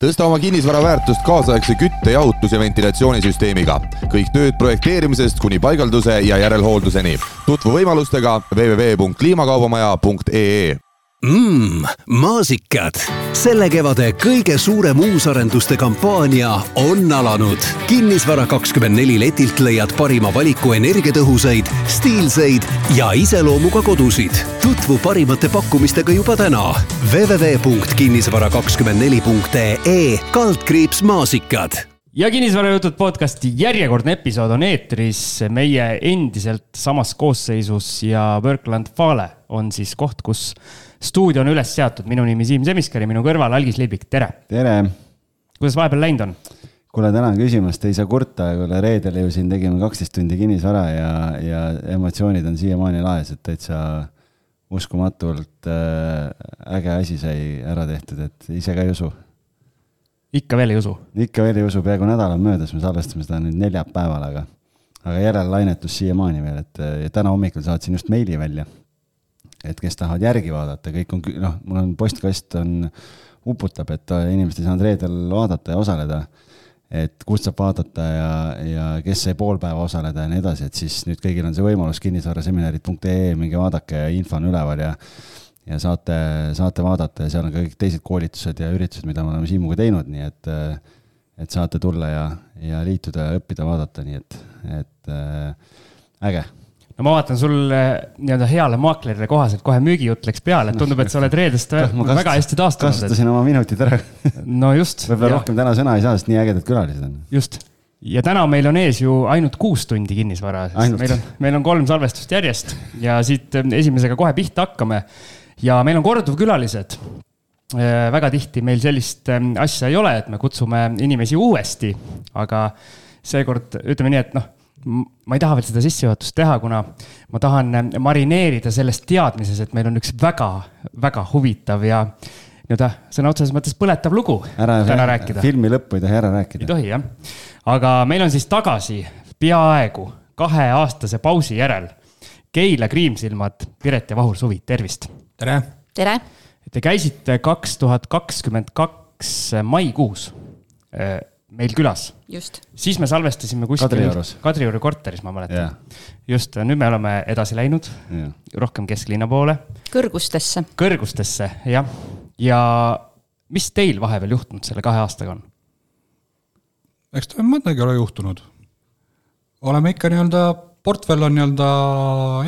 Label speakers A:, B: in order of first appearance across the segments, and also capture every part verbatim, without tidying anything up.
A: Tõsta oma kinnisvara väärtust kaasaegse kütte, jahutus- ja ventilatsioonisüsteemiga. Kõik tööd projekteerimisest kuni paigalduse ja järelhoolduseni. Tutvu võimalustega w w w punkt kliimakaubamaja punkt e e.
B: Mmm, maasikad. Selle kevade kõige suurem uusarenduste kampaania on alanud. Kinnisvara kakskümmend neli letilt leiad parima valiku energiatõhusaid, stiilseid ja iseloomuga kodusid. Tutvu parimate pakkumistega juba täna. w w w punkt kinnisvara kakskümmend neli punkt e e kaldkriips maasikad.
C: Ja Kinnisvarajutud podcasti järjekordne episood on eetris. Meie endiselt samas koosseisus ja Workland Fale on siis koht, kus stuudio on üles seatud. Minu nimi Siim Semiskar ja minu kõrval Algis Liibik. Tere!
D: Tere!
C: Kuidas vahepeal läinud on?
D: Kuule, tänan küsimust. Ei saa kurta. Kuule, reedel ju siin tegime kaksteist tundi kinnisvara ja, ja emotsioonid on siiamaani laes, et täitsa uskumatult äge asi sai ära tehtud, et ise ka ei usu.
C: Ikka veel ei usu?
D: Ikka veel ei usu. Peaaegu nädal on möödas. Me salvestame seda nüüd neljapäeval, aga, aga järel lainetus siiamaani veel. Et, ja täna hommikul saatsin just meili välja, et kes tahavad järgi vaadata. Kõik on, noh, mul on postkast on uputab, et inimesed ei saanud reedel vaadata ja osaleda. Et kust saab vaadata ja, ja kes sai pool päeva osaleda ja nii edasi. Et siis nüüd kõigil on see võimalus kinnisvaraseminarid punkt e e mingi vaadake ja info on üleval ja ja saate, saate vaadata ja seal on kõik teised koolitused ja üritused, mida me oleme Siimuga teinud, nii et, et saate tulla ja, ja liituda ja õppida vaadata, nii et, et äge.
C: No ma vaatan sul nii-öelda heale maaklerile kohaselt kohe müügijutt läks peale, et tundub, et sa oled reedest kasust, väga hästi taastunud.
D: Kasutasin oma minutid ära.
C: No just.
D: Võib-olla rohkem täna sõna ei saa, sest nii ägedad külalised on.
C: Just. Ja täna meil on ees ju ainult kuus tundi kinnisvara. Meil on, meil on kolm salvestust järjest ja siit esimesega kohe pihta hakkame. Ja meil on korduv külalised. Väga tihti meil sellist asja ei ole, et me kutsume inimesi uuesti, aga seekord ütleme nii, et noh, ma ei taha veel seda sissejuhatust teha, kuna ma tahan marineerida sellest teadmises, et meil on üks väga, väga huvitav ja nii-öelda sõna otseses mõttes põletav lugu
D: ära,
C: täna rääkida.
D: Filmi lõppu ei tohi ära rääkida.
C: Ei tohi, jah. Aga meil on siis tagasi peaaegu kahe aastase pausi järel Keila Kriimsilmad, Piret ja Vahur Suvi. Tervist!
E: Tere!
F: Tere!
C: Te käisite kaks tuhat kakskümmend kaks maikuus meil külas.
F: Just.
C: Siis me salvestasime kuskil
D: Kadriorus.
C: Kadriori korteris, ma mäletan.
D: Yeah.
C: Just, nüüd me oleme edasi läinud,
D: yeah.
C: rohkem kesklinna poole.
F: Kõrgustesse.
C: Kõrgustesse, jah. Ja mis teil vahepeal juhtunud selle kahe aastaga on?
E: Eks ta mõndagi ole juhtunud. Oleme ikka nii-öelda, portfell on nii-öelda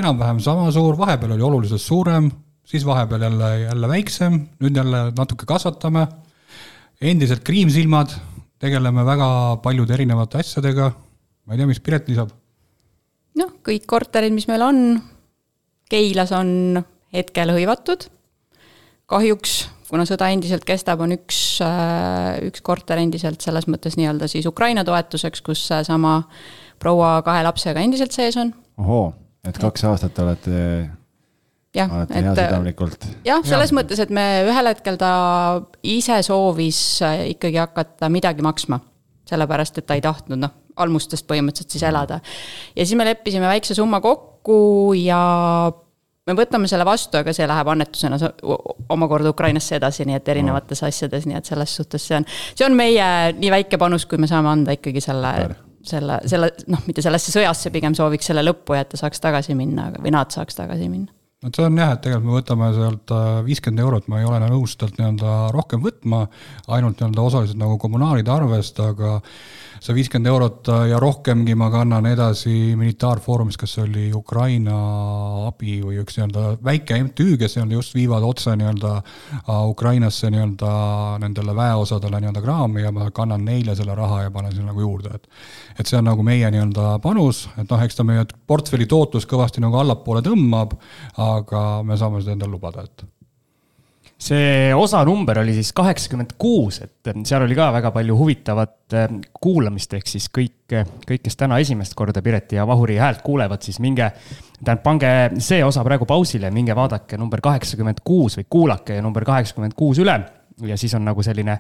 E: enam-vähem sama suur, vahepeal oli oluliselt suurem, siis vahepeal jälle, jälle väiksem, nüüd jälle natuke kasvatame. Endiselt Kriimsilmad, tegeleme väga paljude erinevate asjadega. Ma ei tea, mis Piret lisab?
F: No, kõik korterid, mis meil on, Keilas on hetkel hõivatud. Kahjuks, kuna sõda endiselt kestab, on üks, üks korter endiselt selles mõttes nii-öelda siis Ukraina toetuseks, kus sama proua kahe lapsega endiselt sees on.
D: Ohoo, et kaks aastat olete,
F: ja,
D: olete
F: et,
D: hea südamlikult.
F: Jah, selles ja. mõttes, et me ühel hetkel ta ise soovis ikkagi hakata midagi maksma, sellepärast, et ta ei tahtnud noh, almustest põhimõtteliselt siis elada. Ja siis me leppisime väikse summa kokku ja me võtame selle vastu, aga see läheb annetusena omakorda Ukrainasse edasi, nii et erinevates asjades, nii et selles suhtes see on, see on meie nii väike panus, kui me saame anda ikkagi selle... Super. Selle, selle, noh, mitte sellesse sõjasse pigem sooviks selle lõppu ja et ta saaks tagasi minna, või nad saaks tagasi minna.
E: No see on jah, et tegelikult me võtame sealt viiskümmend eurot, ma ei ole nõustalt nii-öelda rohkem võtma, ainult nii-öelda osaliselt nagu kommunaalide arvest, aga see viiskümmend eurot ja rohkemgi ma kannan edasi militaarfoorumis, kas oli Ukraina abi või üks nii-öelda väike M T Ü, kes just viivad otse nii-öelda Ukrainasse nii-öelda nendele väeosadele nii-öelda kraami ja ma kannan neile selle raha ja panen selle nagu juurde. Et, et see on nagu meie nii-öelda panus, et noh, eks ta meie portfelli tootlus kõvasti nagu allapoole tõmbab, aga me saame seda endale lubada, et
C: see osa number oli siis kaheksakümmend kuus, et seal oli ka väga palju huvitavat kuulamist, ehk siis kõik, kõik, kes täna esimest korda Pireti ja Vahuri häält kuulevad, siis minge, tähendab, pange see osa praegu pausile, minge vaadake number kaheksakümmend kuus või kuulake number kaheksakümmend kuus üle ja siis on nagu selline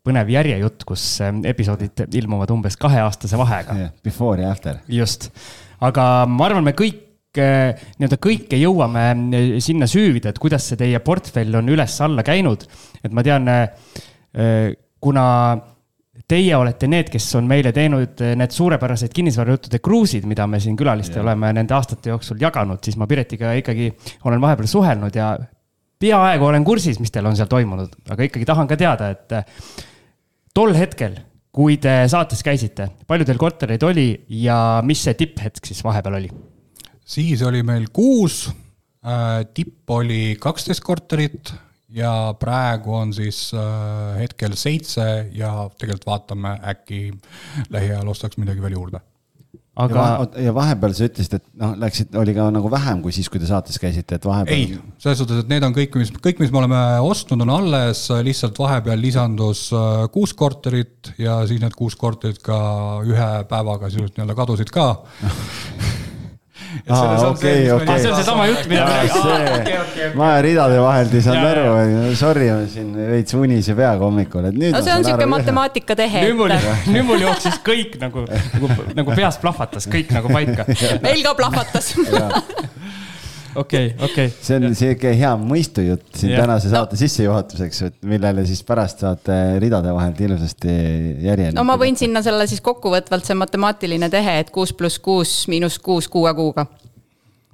C: põnev järjejutt, kus episoodid ilmuvad umbes kaheaastase vahega.
D: Yeah, before ja after.
C: Just. Aga ma arvan, me kõik nii-öelda kõike jõuame sinna süüvida, et kuidas see teie portfell on üles alla käinud. Et ma tean, kuna teie olete need, kes on meile teinud need suurepärased kinnisvarajuttude kruusid, mida me siin külaliste ja. oleme nende aastate jooksul jaganud, siis ma Piretiga ikkagi olen vahepeal suhelnud ja peaaegu olen kursis, mis teil on seal toimunud, aga ikkagi tahan ka teada, et tol hetkel, kui te saates käisite, palju teil kortereid oli ja mis see tipphetk siis vahepeal oli?
E: Siis oli meil kuus, tipp oli kaksteist korterit ja praegu on siis hetkel seitse ja tegelikult vaatame äkki lähiajal ostaks midagi veel juurde.
D: Aga... Ja vahepeal sa ütlesid, et no, läksid, oli ka nagu vähem kui siis, kui te saates käisite, et vahepeal...
E: Ei, selles suhtes, et need on kõik, mis, kõik, mis me oleme ostnud, on alles, lihtsalt vahepeal lisandus kuus korterit ja siis need kuus korterit ka ühe päevaga sisuliselt nii-öelda kadusid ka.
D: Aa, okei, okei.
C: See on see sama jutt, mida me
D: räägime. Ma ridade vahelt ei saanud aru. Sorry, ma siin veits unise peaga hommikul.
F: No see on siuke matemaatika tehe.
C: Nüüd mul jooksis kõik nagu, nagu, nagu peas plahvatas, kõik nagu paika.
F: Meil ka plahvatas.
C: Okei, okei.
D: See on siuke hea mõistujutt siin yeah. tänase saate no. sissejuhatuseks, millele siis pärast saate ridade vahelt ilusasti järjeni.
F: No ma võin sinna selle siis kokkuvõtvalt see matemaatiline tehe, et kuus pluss kuus miinus kuus kuue kuuga.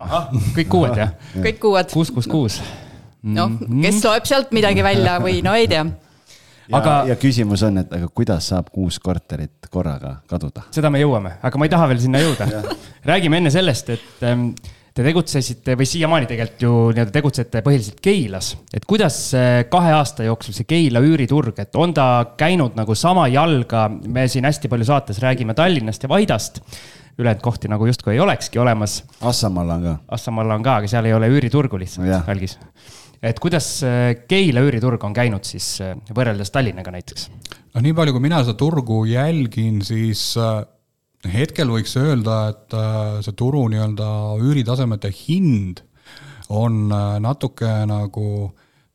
C: Aha, kõik kuued, jah?
F: Kõik kuued.
C: kuus, kuus, kuus.
F: No, kes loeb sealt midagi välja või no ei tea.
D: Ja, aga... ja küsimus on, et aga kuidas saab kuus korterit korraga kaduda?
C: Seda me jõuame, aga ma ei taha veel sinna jõuda. Räägime enne sellest, et... Te tegutsesite või siiamaani tegelikult ju nii-öelda tegutsete põhiliselt Keilas. Et kuidas kahe aasta jooksul see Keila üüriturg, et on ta käinud nagu sama jalga, me siin hästi palju saates räägime Tallinnast ja Vaidast, ülejäänud kohti nagu justkui ei olekski olemas.
D: Assamalla on ka.
C: Assamalla on ka, aga seal ei ole üüriturgu lihtsalt välgis. Et kuidas Keila üüriturg on käinud siis võrreldes Tallinnaga näiteks?
E: No nii palju, kui mina seda turgu jälgin, siis... Hetkel võiks öelda, et see turu nii-öelda üüritasemete hind on natuke nagu,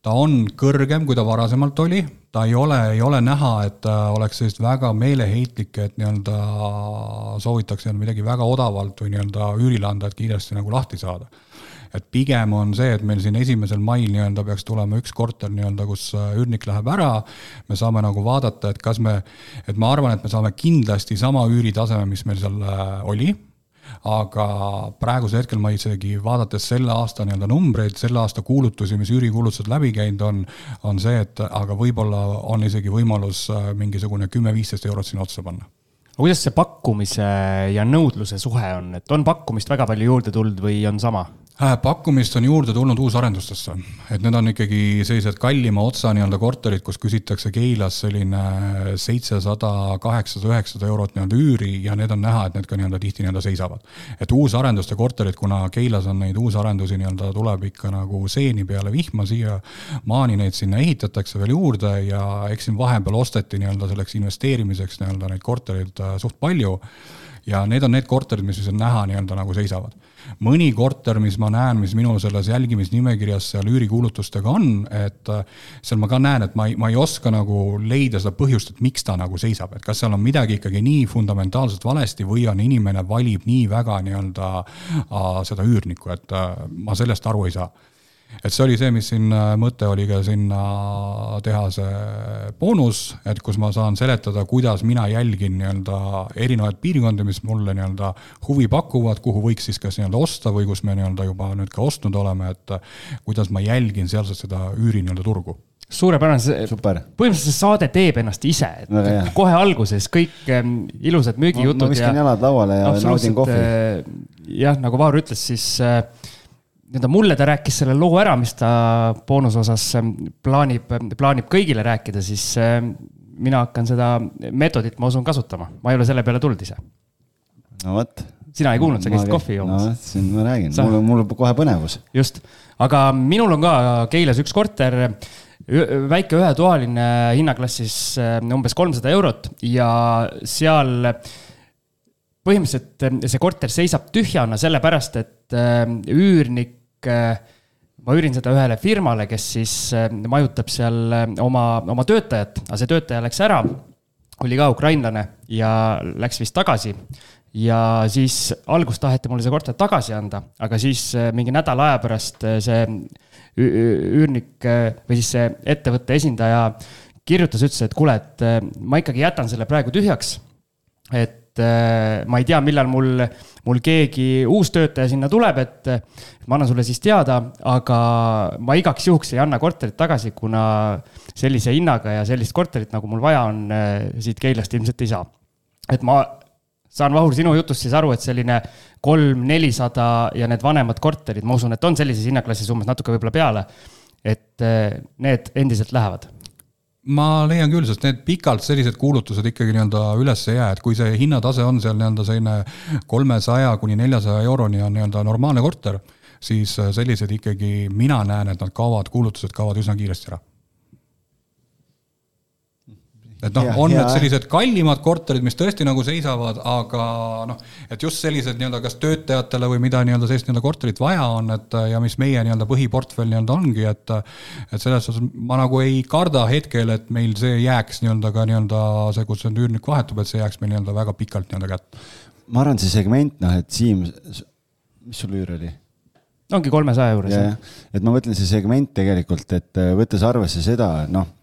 E: ta on kõrgem, kui ta varasemalt oli. Ta ei ole, ei ole näha, et oleks sellist väga meeleheitlik, et nii-öelda soovitakse midagi väga odavalt või nii-öelda üürilanda, et kiiresti nagu lahti saada. Et pigem on see, et meil siin esimesel mail nii-öelda peaks tulema üks korter nii-öelda, kus üürnik läheb ära. Me saame nagu vaadata, et kas me, et ma arvan, et me saame kindlasti sama üüritaseme, mis meil seal oli. Aga praeguse hetkel ma isegi vaadates selle aasta nii-öelda numbreid, selle aasta kuulutusi, mis üürikuulutused läbi käinud on, on see, et aga võib-olla on isegi võimalus mingisugune kümme viisteist eurot siin otsa panna.
C: Kuidas see pakkumise ja nõudluse suhe on? Et on pakkumist väga palju juurde tulnud või on sama?
E: Pakkumist on juurde tulnud uusarendustesse, et need on ikkagi sellised kallima otsa nii-öelda korterid, kus küsitakse Keilas selline seitsesada, kaheksasada, üheksasada eurot nii-öelda üüri ja need on näha, et need ka nii-öelda tihti nii-öelda seisavad. Et uusarenduste korterid, kuna Keilas on neid uusarendusi nii-öelda tuleb ikka nagu seeni peale vihma siia, maani neid sinna ehitatakse veel juurde ja eks siin vahepeal osteti nii-öelda selleks investeerimiseks nii-öelda neid korterid suht palju ja need on need korterid, mis on näha nii-öelda nagu seisavad. Mõni korter, mis ma näen, mis minul selles jälgimisnimekirjas seal üürikuulutustega on, et seal ma ka näen, et ma ei, ma ei oska nagu leida seda põhjust, et miks ta nagu seisab, et kas seal on midagi ikkagi nii fundamentaalselt valesti või on inimene valib nii väga nii-öelda seda üürnikku, et ma sellest aru ei saa. Et see oli see, mis siin mõte oli ka sinna teha see boonus, et kus ma saan seletada, kuidas mina jälgin nii-öelda erinevaid piirkondi, mis mulle nii-öelda huvi pakuvad, kuhu võiks siis kas nii-öelda osta või kus me nii-öelda juba nüüd ka ostnud oleme, et kuidas ma jälgin sealselt seda üüri nii-öelda turgu.
C: Suurepärane,
D: Super.
C: Põhimõtteliselt see saade teeb ennast ise, et no, kohe alguses kõik ilusad müügijutud.
D: Ma, ma viskan jalad lauale ja naudin kohvi.
C: Jah, nagu Vaur ütles, siis mulle ta rääkis selle loo ära, mis ta boonusosas plaanib, plaanib kõigile rääkida, siis mina hakkan seda metodit, ma usun, kasutama. Ma ei ole selle peale tulnud ise.
D: No võt.
C: Sina ei kuulnud, sa käisid kohvi joomas.
D: No siin ma räägin, mul, mul kohe põnevus.
C: Just, aga minul on ka Keilas üks korter, väike ühetoaline hinnaklassis umbes kolmsada eurot ja seal põhimõtteliselt see korter seisab tühjana sellepärast, et üürnik, ma üürin seda ühele firmale, kes siis majutab seal oma, oma töötajat, aga see töötaja läks ära, oli ka ukrainlane ja läks vist tagasi ja siis algus taheti mulle see korter tagasi anda, aga siis mingi nädala aja pärast see üürnik või siis see ettevõtte esindaja kirjutas, ütles, et kuule, et ma ikkagi jätan selle praegu tühjaks, et ma ei tea, millal mul, mul keegi uus töötaja sinna tuleb, et ma annan sulle siis teada, aga ma igaks juhuks ei anna korterit tagasi, kuna sellise hinnaga ja sellist korterit, nagu mul vaja on, siit Keilast ilmselt ei saa. Et ma saan, Vahur, sinu jutust siis aru, et selline kolm nelisada ja need vanemad korterid, ma usun, et on sellises hinnaklassis umbes natuke võib-olla peale, et need endiselt lähevad.
E: Ma leian küll, sest need pikalt sellised kuulutused ikkagi nii-öelda üles ei jää, et kui see hinnatase on seal nii-öelda selline kolmesaja kuni neljasaja euroni on nii-öelda normaalne korter, siis sellised ikkagi mina näen, et nad kaovad, kuulutused kaovad üsna kiiresti ära. Et noh, on need sellised kallimad korterid, mis tõesti nagu seisavad, aga noh, et just sellised nii-öelda kas töötajatele või mida nii-öelda sellist nii-öelda korterit vaja on, et ja mis meie nii-öelda põhiportfell nii-öelda ongi, et et selles osas ma nagu ei karda hetkel, et meil see jääks nii-öelda ka nii-öelda see, kus see üürnik vahetub, et see jääks meil nii-öelda väga pikalt nii-öelda kätt.
D: Ma arvan, see segment, noh, et Siim, mis sul üür oli?
C: Ongi kolmesaja juures.
D: Ja, et ma mõtlen see segment tegelikult, et võttes arvesse seda, noh,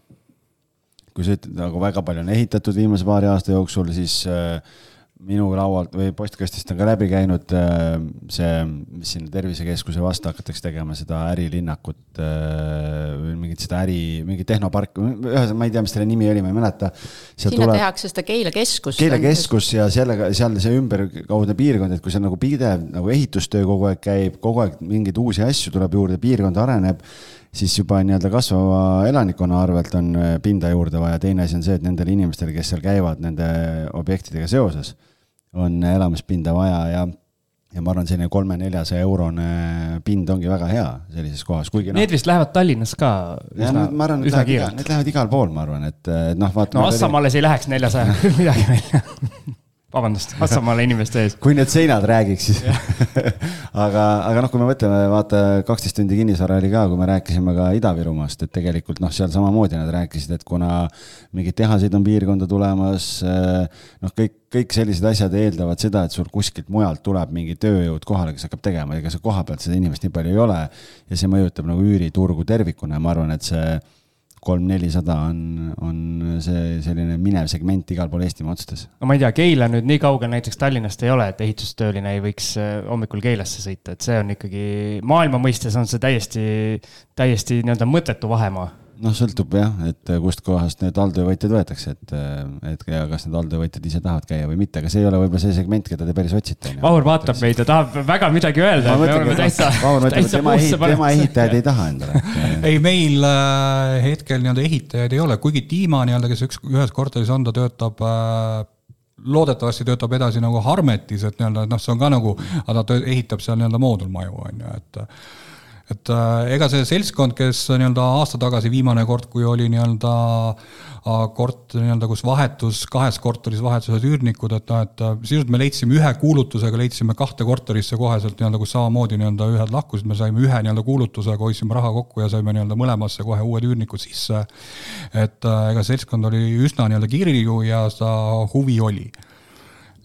D: kui sa ütled, nagu väga palju on ehitatud viimase paari aasta jooksul, siis äh, minu laualt või postkastist on ka läbi käinud äh, see, mis siin tervisekeskuse vastu hakatakse tegema, seda ärilinnakut, äh, mingit seda äri, mingi tehnopark, ühes, ma ei tea, mis selle nimi oli, ma ei mäleta.
F: Sinna tuleb, tehakse seda Keila keskus.
D: Keila keskus ja sellega, seal see ümberkaudne piirkond, et kui see nagu pidev nagu ehitustöö kogu aeg käib, kogu aeg mingeid uusi asju tuleb juurde, piirkond areneb, siis juba nii-öelda kasvava elanikkonna arvelt on pinda juurde vaja. Teine asi on see, et nendel inimestel, kes seal käivad nende objektidega seoses, on elamispinda vaja ja, ja ma arvan, selline kolme-neljasaja eurone pind ongi väga hea sellises kohas. Kuigi,
C: need no, vist lähevad Tallinnas ka üsna,
D: ja, no, ma arvan,
C: üsna
D: lähevad
C: kiirelt.
D: Igal, need lähevad igal pool, ma arvan, et noh, vaat,
C: no Assamaales ei läheks neljasaja midagi välja. Vabandust, Assamaale inimeste ees.
D: Kui need seinad räägiks, siis. aga, aga noh, kui me mõtleme, vaata, kaksteist tundi kinnisvara oli ka, kui me rääkisime ka Ida-Virumaast, et tegelikult noh, seal samamoodi nad rääkisid, et kuna mingid tehasid on piirkonda tulemas, noh, kõik, kõik sellised asjad eeldavad seda, et sul kuskilt mujalt tuleb mingi tööjõud kohale, kes hakkab tegema, ega see koha pealt seda inimest nii palju ei ole ja see mõjutab nagu üüriturgu tervikuna ja ma arvan, et see kolm nelisada on, on see selline minev segment igal pool Eestimaa otsades.
C: No ma ei tea, Keila nüüd nii kaugel näiteks Tallinnast ei ole, et ehitustööline ei võiks hommikul Keilasse sõita, et see on ikkagi maailma mõistes on see täiesti, täiesti nii-öelda mõttetu vahemaa.
D: Noh, sõltub jah, et kust kohast need alltöövõitjad võetakse, et, et ja kas need alltöövõitjad ise tahavad käia või mitte, aga see ei ole võib-olla see segment, keda te päris otsite.
C: Vahur vaatab meid ja tahab väga midagi öelda.
D: Mõtlengi, täitsa, Vahur mõtleb, et tema, ehit, tema ehitajad ei taha endale.
E: ei, meil äh, hetkel nii-öelda ehitajaid ei ole, kuigi Tiima nii-öelda, kes üks, ühes korteris on, ta töötab äh, loodetavasti töötab edasi nagu Harmetis, et nii-öelda, noh, see on ka nagu, aga ta ehitab seal nii-öelda moodulmaju, on ju, et et ega see seltskond, kes nii-öelda aasta tagasi viimane kord, kui oli nii-öelda kort, nii-öelda, kus vahetus, kahes korteris vahetused üürnikud, et, et sisult me leidsime ühe kuulutusega, leidsime kahte korterisse koheselt, nii-öelda, kus samamoodi nii-öelda ühed lahkusid, me saime ühe nii-öelda kuulutusega, hoidsime raha kokku ja saime nii-öelda mõlemasse kohe uued üürnikud sisse. Et ega seltskond oli üsna nii-öelda kirju ja seda huvi oli.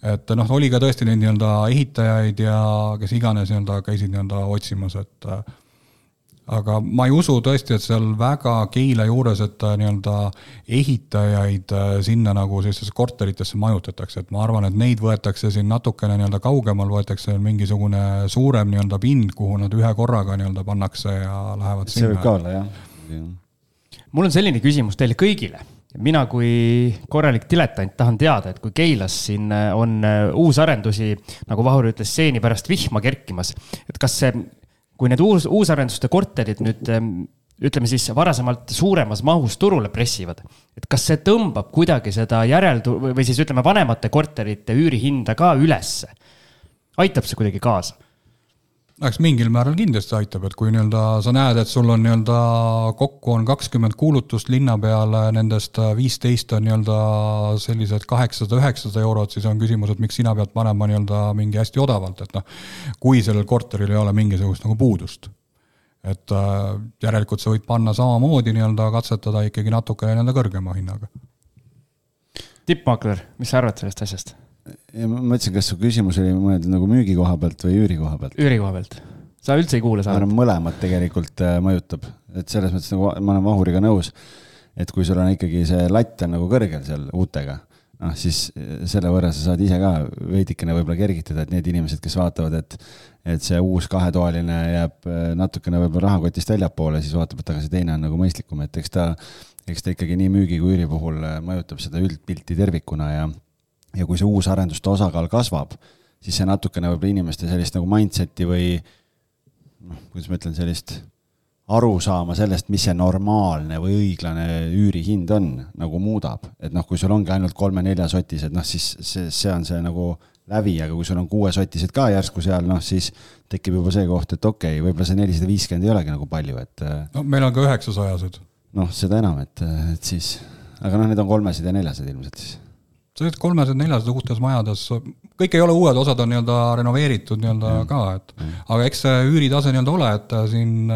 E: Et noh, oli ka tõesti neid nii-öelda ehitajaid ja kes iganes nii-öelda käisid nii-öelda otsimas, et aga ma ei usu tõesti, et seal väga Keila juures, et nii-öelda ehitajaid sinna nagu sellisesse korteritesse majutatakse, et ma arvan, et neid võetakse siin natukene nii-öelda kaugemal, võetakse mingisugune suurem nii-öelda pind, kuhu nad ühe korraga nii-öelda pannakse ja lähevad
D: see
E: sinna.
D: See võib ka olla, jah.
C: Mul on selline küsimus teile kõigile. Mina kui korralik diletant tahan teada, et kui Keilas siin on uusarendusi, nagu Vahur ütles, seeni pärast vihma kerkimas, et kas see kui need uus, uusarenduste korterid nüüd, ütleme siis, varasemalt suuremas mahus turule pressivad, et kas see tõmbab kuidagi seda järeldu- või siis ütleme vanemate korterite üürihinda ka ülesse? Aitab see kuidagi kaasa?
E: Eks mingil määral kindlasti aitab, et kui nii-öelda sa näed, et sul on nii-öelda kokku on kakskümmend kuulutust linna peale, nendest viisteist on nii-öelda sellised kaheksasada üheksasada eurot, siis on küsimus, et miks sina pead panema nii-öelda mingi hästi odavalt, et noh, kui sellel korteril ei ole mingisugust nagu puudust. Et järelikult sa võid panna samamoodi nii-öelda katsetada ikkagi natuke nii-öelda kõrgema hinnaga.
C: Tippmakler, mis sa arvad sellest asjast?
D: Ja ma mõtlesin, kas su küsimus oli mõeldud nagu müügi koha pealt või üüri koha pealt?
C: Üüri koha pealt. Sa üldse ei kuule saanud?
D: Mõlemad tegelikult mõjutab. Et selles mõttes nagu ma olen Vahuriga nõus. et kui sul on ikkagi see latt on nagu kõrgel seal uutega, noh siis selle võrra sa saad ise ka veidikene võib-olla kergitada, et need inimesed, kes vaatavad, et, et see uus kahetoaline jääb natukene võib-olla rahakotist väljapoole, siis vaatab, et aga see teine on nagu mõistlikum, et eks ta, eks ta ikkagi nii müügi kui üüri puhul mõjutab seda üldpilti tervikuna ja, ja kui see uus arenduste osakaal kasvab, siis see natukene võib-olla inimeste sellist nagu mindseti või noh, kuidas ma ütlen, sellist aru saama sellest, mis see normaalne või õiglane üürihind on, nagu muudab. Et noh, kui sul ongi ainult kolme-nelja sotised, noh siis see, see on see nagu läbi, aga kui sul on kuue sotised ka järsku seal, noh siis tekib juba see koht, et okei, võib-olla see nelisada viiskümmend ei olegi nagu palju, et
E: no meil on ka üheksasajased.
D: Noh, seda enam, et, et siis, aga noh, need on kolmesed ja neljased ilmselt siis.
E: See kolmesed, neljased uutes majades, kõik ei ole uued, osad on nii-öelda renoveeritud nii-öelda mm. ka, et mm. aga eks see üüritase nii-öelda ole, et siin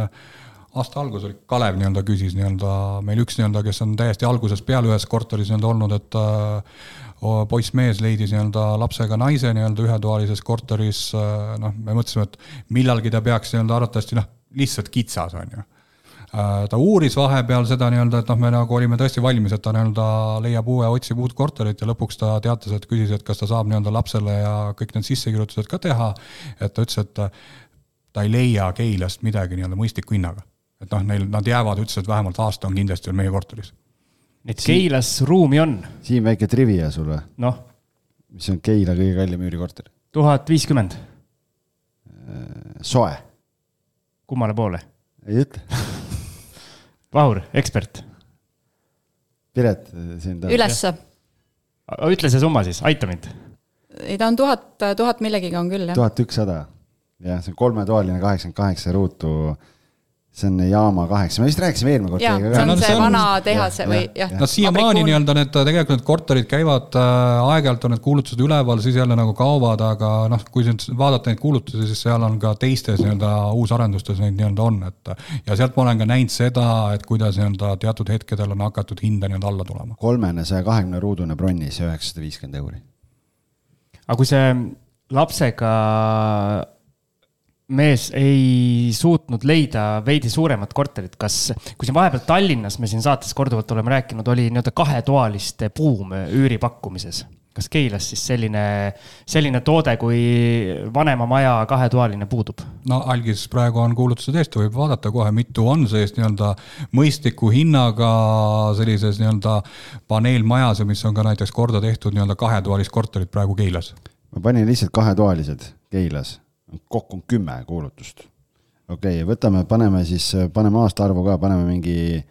E: aasta algus oli Kalev nii-öelda küsis nii-öelda meil üks nii-öelda, kes on täiesti algusest peale ühes korteris nii-öelda olnud, et uh, poissmees leidis nii-öelda lapsega naise nii-öelda ühetoalises korteris, uh, noh, me mõtlesime, et millalgi ta peaks nii-öelda arvatavasti, noh, lihtsalt kitsas on ju. Uh, ta uuris vahepeal seda nii-öelda, et noh, me nagu olime tõesti valmis, et ta nii-öelda leiab uue, otsib uut korterit ja lõpuks ta teatas, et küsis, et kas ta saab nii-öelda lapsele ja kõik need sissekirjutused ka teha, et ta ütles, et ta ei leia Keilast midagi nii-öelda mõistliku hinnaga. Et noh, neil, nad jäävad, ütles, et vähemalt aasta on kindlasti meie korteris.
C: Et Keilas ruumi on.
D: Siin väike trivia sulle.
C: Noh.
D: Mis on Keila kõige kallim üürikorter?
C: tuhat viiskümmend.
D: Soe.
C: Kummale poole?
D: Ei ütle.
C: Vahur, ekspert.
D: Piret. Siin
F: Ülesse.
C: Ütle see summa siis, aita mind.
F: Ei, ta on tuhat, tuhat millegiga on küll, jah.
D: tuhat ükssada. Ja, see on kolmetoaline kaheksakümmend kaheksa ruutu. See on jaama kaheksa. Me vist rääkisime eelmine kord.
F: Jaa, see on no, see, see on, vana tehase või jah.
E: No siiamaani nii-öelda need tegelikult need korterid käivad äh, aeg-ajalt on need kuulutused üleval, siis jälle nagu kaovad, aga noh, kui vaadata neid kuulutusi, siis seal on ka teistes nii-öelda uusarendustes neid nii-öelda on. Et, ja sealt ma olen ka näinud seda, et kuidas nii-öelda teatud hetkedel on hakatud hinda nii-öelda alla tulema.
D: kolmene saja kahekümne ruudune bronnis üheksasada viiskümmend euri.
C: Aga kui see lapsega mees ei suutnud leida veidi suuremat korterit, kas, kui siin vahepeal Tallinnas, me siin saates korduvalt oleme rääkinud, oli nii-öelda kahetoaliste buum üüri pakkumises. Kas Keilas siis selline, selline toode, kui vanema maja kahetoaline puudub?
E: No algis praegu on kuulutuse teest, võib vaadata kohe, mitu on seest nii-öelda mõistliku hinnaga sellises nii-öelda paneelmajas, mis on ka näiteks korda tehtud nii-öelda kahetoalist korterit praegu Keilas.
D: Ma panin lihtsalt kahetoalised Keilas. Kokku on kümme kuulutust. Okei, okay, võtame, paneme siis, paneme aasta arvu ka, paneme mingi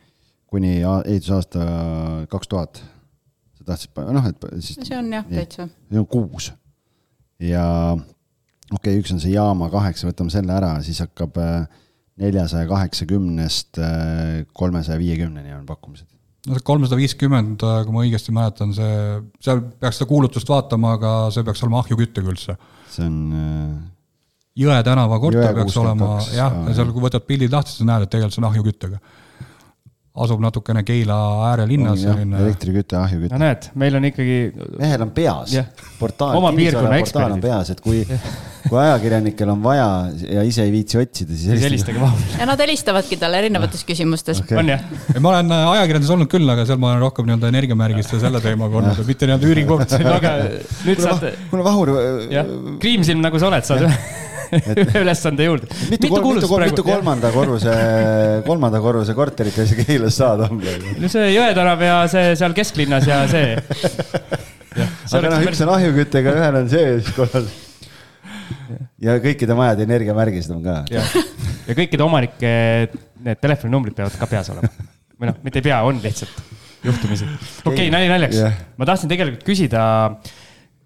D: kuni ehitusaasta kaks tuhat. Sa tahtsid, noh, et siis...
F: See on jah, täitsa.
D: See on kuus. Ja okei, okay, üks on see jaama kaheksa, võtame selle ära, siis hakkab neljasaja kaheksakümnest kolmesaja viiekümneni on pakkumised.
E: No see kolmsada viiskümmend, kui ma õigesti mäletan, see, seal peaks seda kuulutust vaatama, aga see peaks olema ahjukütte külse.
D: See on...
E: Jõe tänava korter peaks olema, jah, ja seal kui võtad pildid lahti, siis näed, et tegelikult see on ahjuküttega. Asub natukene Keila äärelinnas.
D: Elektrikütte, ahjukütte.
C: No näed, meil on ikkagi...
D: Mehel on peas.
C: Portaal, oma piirkonna eksperdid.
D: On peas, et kui, kui ajakirjanikel on vaja ja ise ei viitsi otsida, siis
C: helistage vahel.
F: Ja nad helistavadki talle erinevates küsimustes.
C: Okay. On jah.
E: Ma olen ajakirjandus olnud küll, aga seal ma olen rohkem nii-öelda energiamärgist ja selle teemaga olnud, mitte nii-öelda üürikoht.
C: Aga nüüd saad...
D: Mul on vahur...
C: Kriimsilm nagu sa oled, saad ülesande juurde.
D: Mitu, mitu, mitu, mitu kolmanda korruse, kolmanda korruse korterit ja see Keilas saada on?
C: No see Jõetänav ja see seal kesklinnas ja see.
D: Ja, see aga noh, üks on ahjuküttega, ühel on see korral. Ja kõikide majade energiamärgist on ka.
C: Ja, ja kõikide omanike need telefoninumbrid peavad ka peas olema. Või noh, mitte ei pea, on lihtsalt juhtumisi. Okei, okay, nali naljaks. Yeah. Ma tahtsin tegelikult küsida...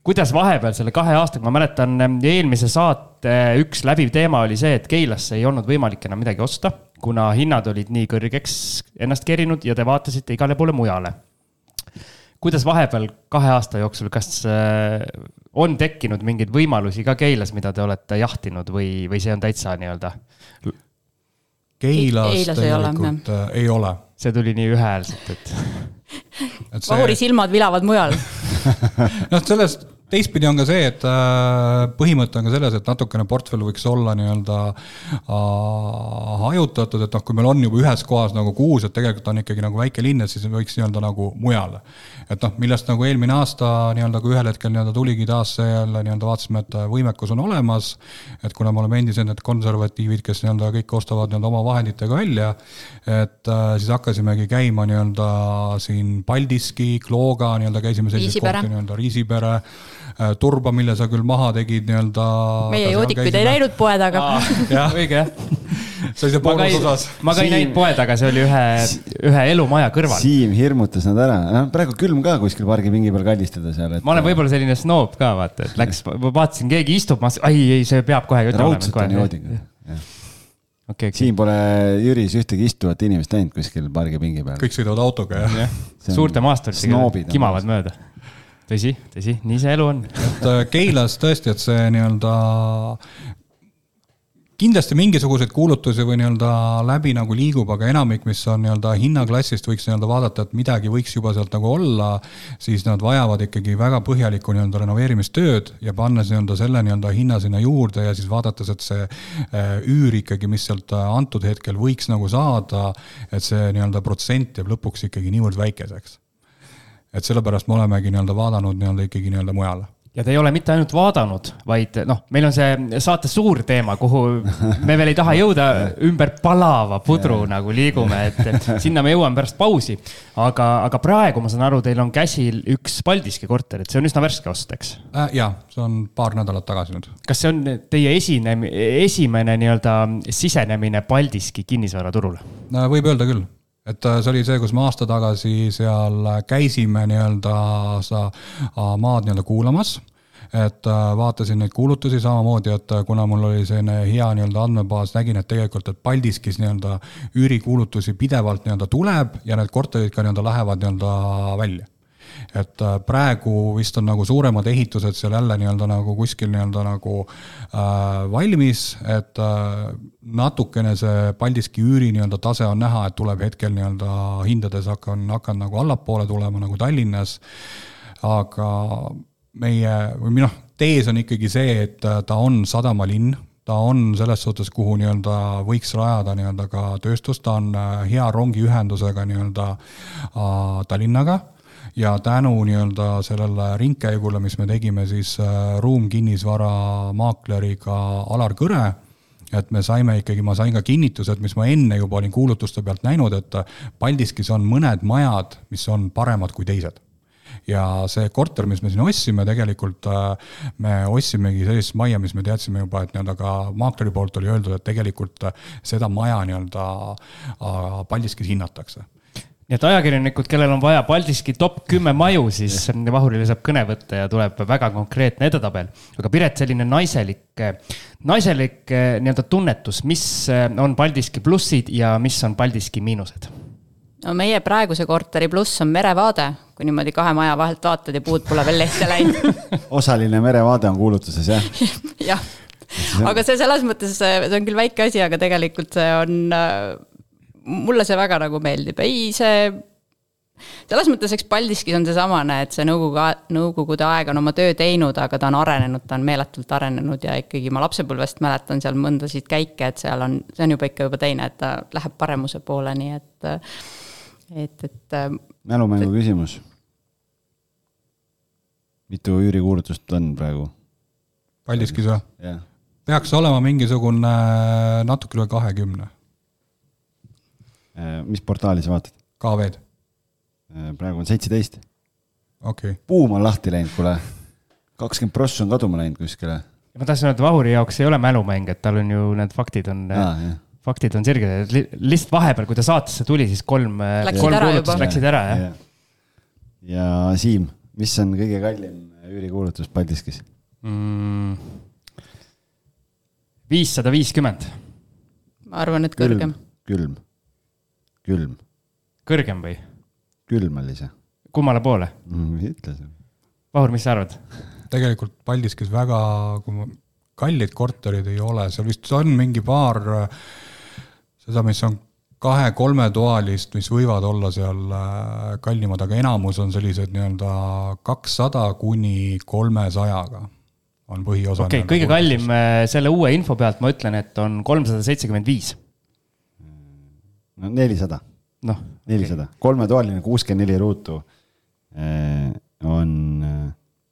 C: Kuidas vahepeal selle kahe aastaga, ma mäletan eelmise saate üks läbiv teema oli see, et Keilasse ei olnud võimalik enam midagi osta, kuna hinnad olid nii kõrgeks ennast kerinud ja te vaatasite igale poole mujale. Kuidas vahepeal kahe aasta jooksul, kas on tekkinud mingeid võimalusi ka Keilas, mida te olete jahtinud või, või see on täitsa nii-öelda?
E: Keilas, Keilas tegelikult ei ole, ei ole.
C: See tuli nii ühäälselt, et...
F: et see... Vahuri silmad vilavad mujal.
E: No sellest teistpidi on ka see, et põhimõte on ka selles, et natukene portfell võiks olla nii-öelda hajutatud, et noh, kui meil on juba ühes kohas nagu kuus, et tegelikult on ikkagi nagu väike linn, et siis võiks nii-öelda nagu mujal. Et noh, millest nagu eelmine aasta nii-öelda kui ühel hetkel nii-öelda tuligi taas see jälle nii-öelda vaatasime, et võimekus on olemas, et kuna me oleme endised need konservatiivid, kes nii-öelda kõik ostavad nii-öelda oma vahenditega välja, et siis hakkasimegi käima nii-öelda siin Paldiski, Klooga, nii-öelda käisime sellised kohti nii-öelda Riisipere, Turba, mille sa küll maha tegid nii-öelda...
F: Meie joodikuid ei näinud poe taga.
C: Jah, õige, jah.
E: Sellise boonus osas.
C: Ma ka ei näinud poe taga, see oli ühe, ühe elumaja kõrval.
D: Siim hirmutas nad ära. No, praegu külm ka kuskil pargipingi peal kallistada seal. Et...
C: Ma olen võib-olla selline snoob ka, vaata, et läks, vaatasin, keegi istub, ma ai, ei, see peab kohe.
D: Raudselt on joodiga. Okay, okay. Siin pole Jüris ühtegi istuvat inimest näinud kuskil pargipingi peal.
E: Kõik sõidavad autoga, jah.
C: Ja. Suurte maasturitega kimavad mööda. Tõsi, tõsi, nii see elu on.
E: Et Keilas tõesti, et see nii-öelda kindlasti mingisuguseid kuulutusi või nii-öelda läbi nagu liigub, aga enamik, mis on nii-öelda hinnaklassist, võiks nii-öelda vaadata, et midagi võiks juba sealt nagu olla, siis nad vajavad ikkagi väga põhjalikku nii-öelda renoveerimistööd ja pannes nii-öelda selle nii-öelda hinna sinna juurde ja siis vaadates, et see üür ikkagi, mis sealt antud hetkel võiks nagu saada, et see nii-öelda protsent jääb lõpuks ikkagi niivõrd väikeseks. Et sellepärast me olemegi nii-öelda vaadanud nii-öelda ikkagi nii-öelda mujale.
C: Ja te ei ole mitte ainult vaadanud, vaid noh, meil on see saate suur teema, kuhu me veel ei taha jõuda ümber palava pudru nagu liigume, et sinna me jõuame pärast pausi. Aga, aga praegu ma saan aru, teil on käsil üks Paldiski korter, et see on üsna värske ost, eks?
E: Äh, jah, see on paar nädalat tagasi nüüd.
C: Kas see on teie esine, esimene nii-öelda sisenemine Paldiski kinnisvaraturule?
E: Võib öelda küll. Et see oli see, kus me aasta tagasi seal käisime nii-öelda sa maad nii-öelda kuulamas, et vaatasin neid kuulutusi samamoodi, et kuna mul oli selline hea nii-öelda andmebaas, nägin, et tegelikult, et Paldiskis nii-öelda üürikuulutusi pidevalt nii-öelda tuleb ja need korterid ka nii-öelda lähevad nii-öelda välja. Et praegu vist on nagu suuremad ehitused seal jälle nii-öelda nagu kuskil nii-öelda nagu äh, valmis, et äh, natukene see Paldiski üüri nii-öelda tase on näha, et tuleb hetkel nii-öelda hindades hakkan, hakkan nagu allapoole tulema nagu Tallinnas, aga meie, või noh, tees on ikkagi see, et ta on sadamalinn, ta on selles suhtes, kuhu nii-öelda võiks rajada nii-öelda ka tööstus, ta on hea rongiühendusega nii-öelda äh, Tallinnaga, ja tänu nii-öelda sellele ringkäigule, mis me tegime siis Ruum kinnisvara maakleriga Alar Kõre, et me saime ikkagi, ma sain ka kinnitused, mis ma enne juba olin kuulutuste pealt näinud, et Paldiskis on mõned majad, mis on paremad kui teised. Ja see korter, mis me siin ossime, tegelikult me ossimegi sellist maja, mis me teadsime juba, et nii-öelda ka maakleri poolt oli öeldud, et tegelikult seda maja nii-öelda Paldiskis hinnatakse.
C: Nii et ajakirjanikud, kellel on vaja Paldiski top kümme maju, siis Vahurile saab kõne võtta ja tuleb väga konkreetne edetabel. Aga Piret, selline naiselik, naiselik nii-öelda tunnetus, mis on Paldiski plussid ja mis on Paldiski miinused?
F: No meie praeguse korteri pluss on merevaade, kui niimoodi kahe maja vahelt vaatad ja puud pole veel lehte läinud.
D: Osaline merevaade on kuulutuses, jah?
F: jah, aga see selles mõttes, see on küll väike asi, aga tegelikult see on... mulle see väga nagu meeldib. Ei, see, selles mõttes, eks Paldiskis on see samane, et see nõukogude aeg on oma töö teinud, aga ta on arenenud, ta on meeletult arenenud ja ikkagi ma lapsepõlvest mäletan seal mõndasid käike, et seal on, see on juba ikka juba teine, et ta läheb paremuse poole, nii et, et, et
D: mälumängu küsimus. Mitu üürikuulutust on praegu?
E: Paldiskis või?
D: Yeah.
E: Peaks olema mingisugune natuke üle kahekümne.
D: Mis portaali sa vaatad?
E: K V-d.
D: Praegu on seitseteist.
E: Okay.
D: Puum on lahti läinud, kule. kakskümmend prossa on kaduma läinud kuskile.
C: Ma tahtsin öelda, Vahuri jaoks ei ole mälumäng, et tal on ju need faktid on, ah, faktid on sirged. Lihtsalt vahepeal, kui ta saatesse tuli, siis kolm, kolm kuulutust läksid ära. Ja,
D: ja. ja Siim, mis on kõige kallim üürikuulutus Paldiskis?
C: Mm, viissada viiskümmend.
F: Ma arvan, et kõrgem.
D: Külm. Külm.
C: Kõrgem või?
D: Külm oli see.
C: Kummale poole?
D: Mm, ütle see.
C: Vahur, mis sa arvad?
E: Tegelikult Paldiskis väga kallid korterid ei ole. Seal vist on mingi paar, seda, mis on kahe-kolmetoalist, mis võivad olla seal kallimad, aga enamus on sellised nii-öelda kakssada kuni kolmesajaga on põhiosa.
C: Okei, okay, kõige kallim selle uue info pealt ma ütlen, et on kolmsada seitsekümmend viis.
D: No nelisada.
C: No,
D: nelisada. Okay. Kolmetoaline kuuskümmend neli ruutu on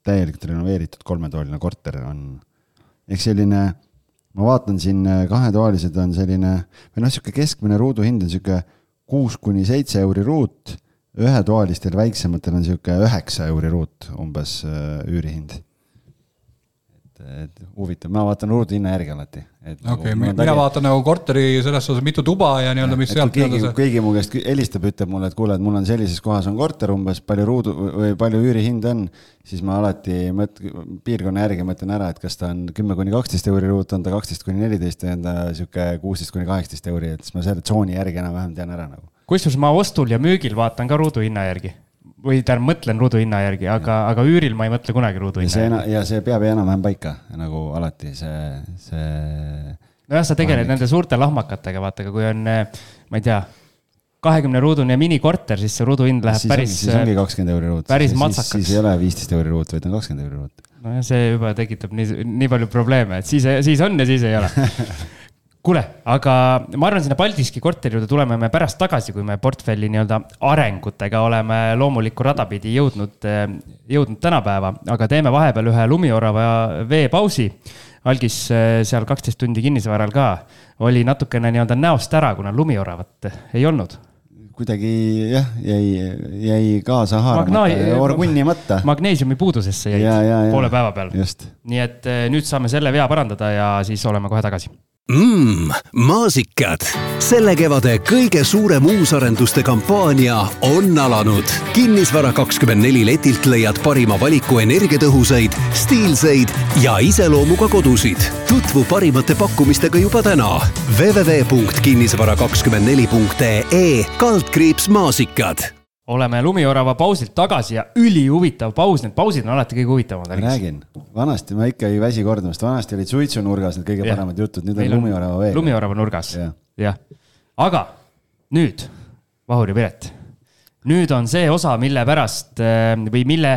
D: täielikult renoveeritud kolmetoaline korter on. Eks selline, ma vaatan siin kahetoalised on selline, või noh, siuke keskmine ruudu hind on siuke kuus kuni seitse euri ruut, ühetoalistel väiksematel on siuke üheksa euri ruut umbes üürihind. Et huvitav, ma vaatan ruudu hinna järgi alati.
E: Okei, okay, mina tagi... vaatan nagu korteri selles osas mitu tuba ja nii-öelda, mis sealt
D: keegi, see... keegi mu käest helistab, ütleb mulle, et kuule, et mul on sellises kohas on korter umbes, palju ruudu või palju üürihind on, siis ma alati mõt... piirkonna järgi mõtlen ära, et kas ta on kümme kuni kaksteist euri ruut, on ta kaksteist kuni neliteist või on ta siuke kuusteist kuni kaheksateist euri, et siis ma selle tsooni järgi enam-vähem tean ära nagu.
C: Kusjuures ma ostul ja müügil vaatan ka ruudu hinna järgi. Või ta mõtlen ruudu hinna järgi, aga, aga üüril ma ei mõtle kunagi ruudu hinna
D: ja
C: järgi.
D: Ja see peab enam-vähem paika, nagu alati see... see...
C: No jah, sa tegeled nende suurte lahmakatega, vaata, kui on, ma ei tea, kahekümne ruudune minikorter, siis see ruudu hind läheb
D: siis
C: päris...
D: On, siis ongi kakskümmend euri ruut.
C: Päris
D: siis,
C: matsakaks.
D: Siis ei ole viisteist euri ruut, vaid on kakskümmend euri ruut.
C: No ja see juba tekitab nii, nii palju probleeme, et siis, siis on ja siis ei ole. Kuule, aga ma arvan, sinna Paldiski korteri juurde tuleme me pärast tagasi, kui me portfelli nii-öelda arengutega oleme loomulikku radapidi jõudnud, jõudnud tänapäeva, aga teeme vahepeal ühe lumiorava veepausi. Algis seal kaksteist tundi kinnisvaral ka oli natukene nii-öelda näost ära, kuna lumioravat ei olnud.
D: Kuidagi jah, jäi, jäi kaasa haaramata, orgunnimata.
C: Magneesiumi puudusesse jäid ja, ja, ja. Poole päeva peal.
D: Just.
C: Nii et nüüd saame selle vea parandada ja siis oleme kohe tagasi.
B: Mmm, maasikad. Selle kevade kõige suurem uusarenduste kampaania on alanud. Kinnisvara kakskümmend neli letilt leiad parima valiku energiatõhusaid, stiilseid ja iseloomuga kodusid. Tutvu parimate pakkumistega juba täna. w w w punkt kinnisvara kakskümmend neli punkt e kaldkriips maasikad.
C: Oleme lumiorava pausilt tagasi ja üli huvitav paus. Need pausid on alati kõige huvitavad.
D: Räägin. Vanasti ma ikka ei väsi kordamast. Vanasti olid suitsunurgas need kõige ja. Paremad jutud. Nüüd on, on lumiorava veega.
C: Lumiorava nurgas. Ja. Ja. Aga nüüd, Vahur ja Piret, nüüd on see osa, mille pärast või mille,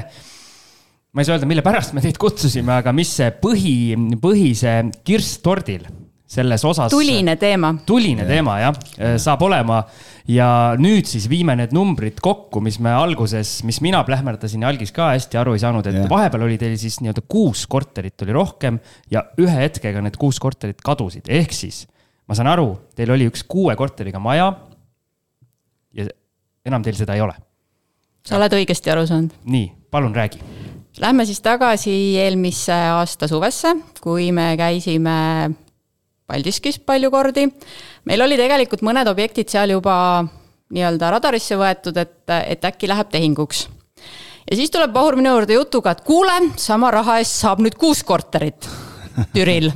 C: ma ei saa öelda, mille pärast me teid kutsusime, aga mis see põhi, põhise kirstordil selles osas.
F: Tuline teema.
C: Tuline ja. Teema, jah, saab olema. Ja nüüd siis viime need numbrid kokku, mis me alguses, mis mina plähmerdasin ja Algis ka hästi aru ei saanud, et yeah. Vahepeal oli teil siis nii-öelda kuus korterit oli rohkem ja ühe hetkega need kuus korterit kadusid. Ehk siis, ma saan aru, teil oli üks kuue korteriga maja ja enam teil seda ei ole.
F: Sa oled õigesti aru saanud.
C: Nii, palun räägi.
F: Lähme siis tagasi eelmise aasta suvesse, kui me käisime Paldiskis palju kordi. Meil oli tegelikult mõned objektid seal juba nii-öelda radarisse võetud, et, et äkki läheb tehinguks. Ja siis tuleb Vahur minu juurde jutuga, et kuule, sama raha eest saab nüüd kuus korterit Türil.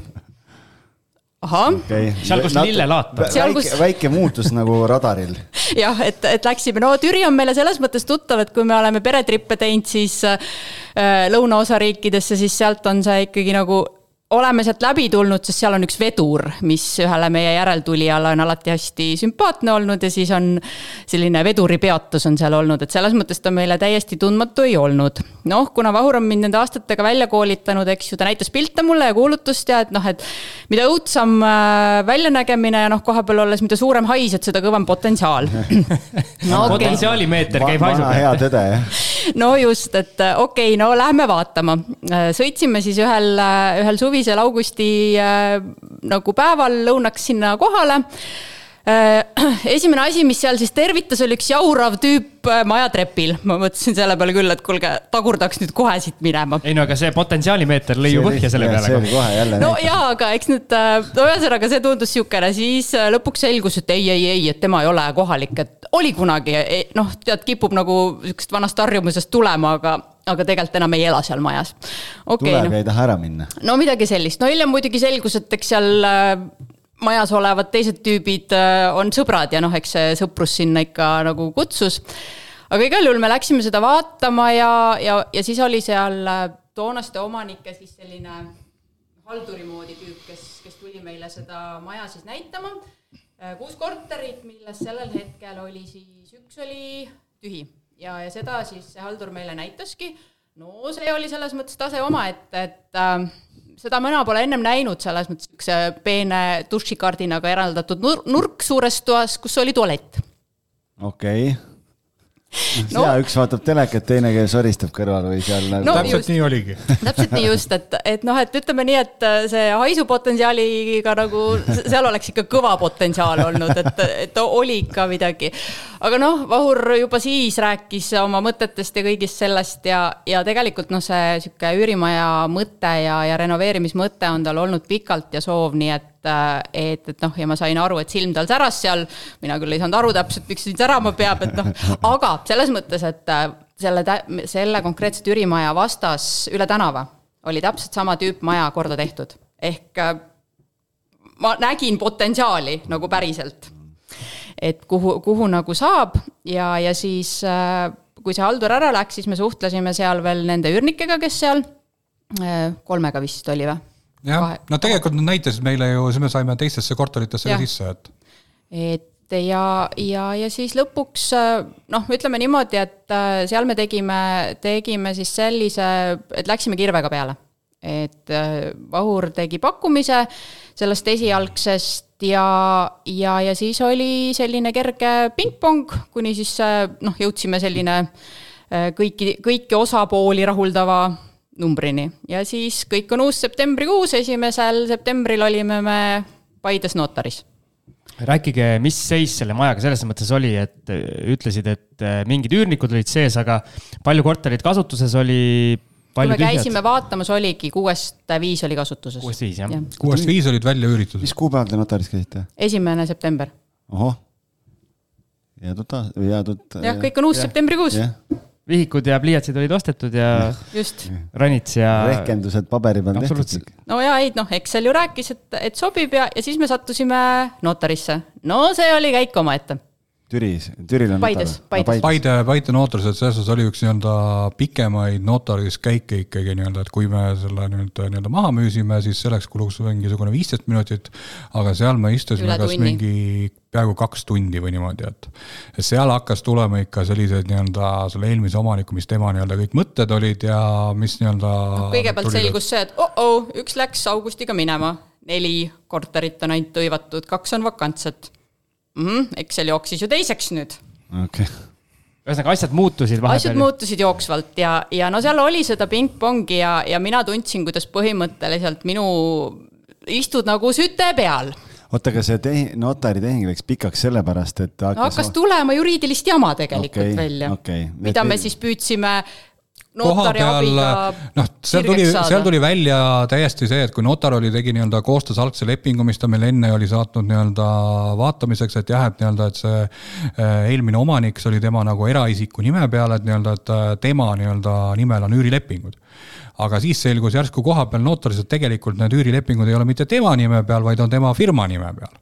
F: Aha.
C: Okay. Seal, kus Lille laata.
D: Väike, kus... väike muutus nagu radaril.
F: Jah, et, et läksime. No Türi on meile selles mõttes tuttav, et kui me oleme peretrippe teinud siis äh, lõunaosa riikidesse, siis sealt on see ikkagi nagu oleme sealt läbi tulnud, sest seal on üks vedur, mis ühele meie järeltulijale on alati hästi sümpaatne olnud ja siis on selline veduri peatus on seal olnud, et selles mõttes ta meile täiesti tundmatu ei olnud. Noh, kuna Vahur on mind nende aastatega välja koolitanud, eks ju, ta näitas pilte mulle ja kuulutust ja et noh, et mida õudsam väljanägemine ja noh, koha peal olles, mida suurem hais, et seda kõvem potentsiaal.
C: No, okay. Potentsiaalimeeter käib haisu.
D: Vana hea tõde, jah.
F: No just, et okei, okay, no lähme vaatama. Sõitsime siis ühel, ühel suvi augusti äh, nagu päeval lõunaks sinna kohale. Äh, esimene asi, mis seal siis tervitas, oli üks jaurav tüüp äh, majatrepil. Ma mõtlesin selle peale küll, et kulge, tagurdaks nüüd kohe siit minema.
C: Ei no, aga see potentsiaalimeeter lõi ju põhja selle peale.
D: See oli kohe jälle.
F: No jaa, aga eks nüüd, no ühesõnaga see tundus siukene, siis lõpuks selgus, et ei, ei, ei, et tema ei ole kohalik, et oli kunagi, noh, tead, kipub nagu sükest vanast harjumusest tulema, aga aga tegelikult enam ei ela seal majas. Okay,
D: tuleb
F: no.
D: Ei taha ära minna.
F: No midagi sellist. No hiljem muidugi selgus, et eks seal majas olevad teised tüübid on sõbrad ja noh, eks see sõprus sinna ikka nagu kutsus. Aga igal juhul me läksime seda vaatama ja, ja, ja siis oli seal toonaste omanike siis selline halduri moodi tüüp, kes, kes tuli meile seda maja siis näitama. kuus korterit, milles sellel hetkel oli siis, üks oli tühi ja, ja seda siis see haldur meile näitaski. No see oli selles mõttes tase oma, et, et äh, seda mina pole ennem näinud selles mõttes üks peene dušikardinaga eraldatud nur- nurk suures toas, kus oli tualett.
D: Okei. Okay. No, ja üks vaatab telekat, teine käes soristab kõrval või seal no,
E: täpselt just, nii oligi.
F: Täpselt nii just, et, et noh, et ütleme nii, et see haisupotentsiaaliga nagu seal oleks ikka kõva potentsiaal olnud, et, et oli ikka midagi. Aga noh, Vahur juba siis rääkis oma mõtetest ja kõigist sellest ja, ja tegelikult noh, see siuke üürimaja mõte ja, ja renoveerimismõte on tal olnud pikalt ja soov, nii et et, et noh, ja ma sain aru, et silm tal säras seal, mina küll ei saanud aru täpselt, miks siin särama peab, et noh, aga selles mõttes, et selle, selle konkreetset üürimaja vastas üle tänava oli täpselt sama tüüp maja korda tehtud. Ehk ma nägin potentsiaali nagu päriselt, et kuhu, kuhu nagu saab ja, ja siis kui see haldur ära läks, siis me suhtlesime seal veel nende üürnikega, kes seal kolmega vist oli või?
E: Jah, no tegelikult nad näitasid meile ju, me saime teistesse korteritesse ka sisse, et
F: et ja, ja, ja siis lõpuks noh, ütleme niimoodi, et seal me tegime, tegime siis sellise, et läksime kirvega peale, et Vahur tegi pakkumise sellest esialgsest ja, ja, ja siis oli selline kerge pingpong, kuni siis noh, jõudsime selline kõiki, kõiki osapooli rahuldava numbrini. Ja siis kõik on uus septembrikuus, esimesel septembril olime me Paides notaris.
C: Rääkige, mis seis selle majaga selles mõttes oli, et ütlesid, et mingid üürnikud olid sees, aga palju korterid kasutuses oli, palju
F: tühjad? Kui me käisime vaatamas, oligi kuuest viis oli kasutuses.
C: Kuuest viis, jah.
E: Kuuest viis olid välja üüritud.
D: Mis kuupäeval te notaris käisite?
F: Esimene september.
D: Oho. Jäädud, jäädud.
F: Jah, kõik on uus yeah. septembrikuus.
C: Yeah. Vihikud ja pliiatsid olid ostetud ja
F: just.
C: Ranits ja
D: rehkendused paberi peal tehtud.
F: No ja ei, noh, Excel ju rääkis, et, et sobib ja, ja siis me sattusime notarisse. No see oli käik oma ette.
D: Türis, Türil on
F: Paides, Paides.
E: Paide, Paide notaris, et selles oli üks nii-öelda pikemaid notaris käike ikkagi nii-öelda, et kui me selle nii-öelda, nii-öelda maha müüsime, siis selleks kuluks mingisugune viisteist minutit, aga seal me istusime kas mingi peaaegu kaks tundi või niimoodi, et seal hakkas tulema ikka sellised nii-öelda selle eelmise omaniku, mis tema nii-öelda kõik mõtted olid ja mis nii-öelda
F: no, kõigepealt selgus see, et oh, oh, üks läks augustiga minema, neli korterit on ainult tõivatud, kaks on vakantsed. Mm, Excel jooksis ju teiseks nüüd.
D: Okay.
C: Ühesõnaga, asjad muutusid vahepeal.
F: Asjad muutusid jooksvalt ja, ja no seal oli seda ping-pongi ja, ja mina tundsin, kuidas põhimõtteliselt minu istud nagu süte peal.
D: Oota, aga see tehi, notari tehing läks pikaks sellepärast, et
F: hakkas, no, hakkas tulema juriidilist jama tegelikult okay, välja,
D: okay.
F: mida me siis püüdsime notari abiga
E: noh, seal tuli, seal tuli välja täiesti see, et kui notar oli tegi nii-öelda koostas algse lepingu, mis ta meil enne oli saatnud nii-öelda vaatamiseks, et jah, et nii-öelda, et see eelmine omanik, see oli tema nagu eraisiku nime peal, et nii-öelda, et tema nii-öelda nimel on üürilepingud. Aga siis selgus järsku koha peal notaris, et tegelikult need üürilepingud ei ole mitte tema nime peal, vaid on tema firma nime peal.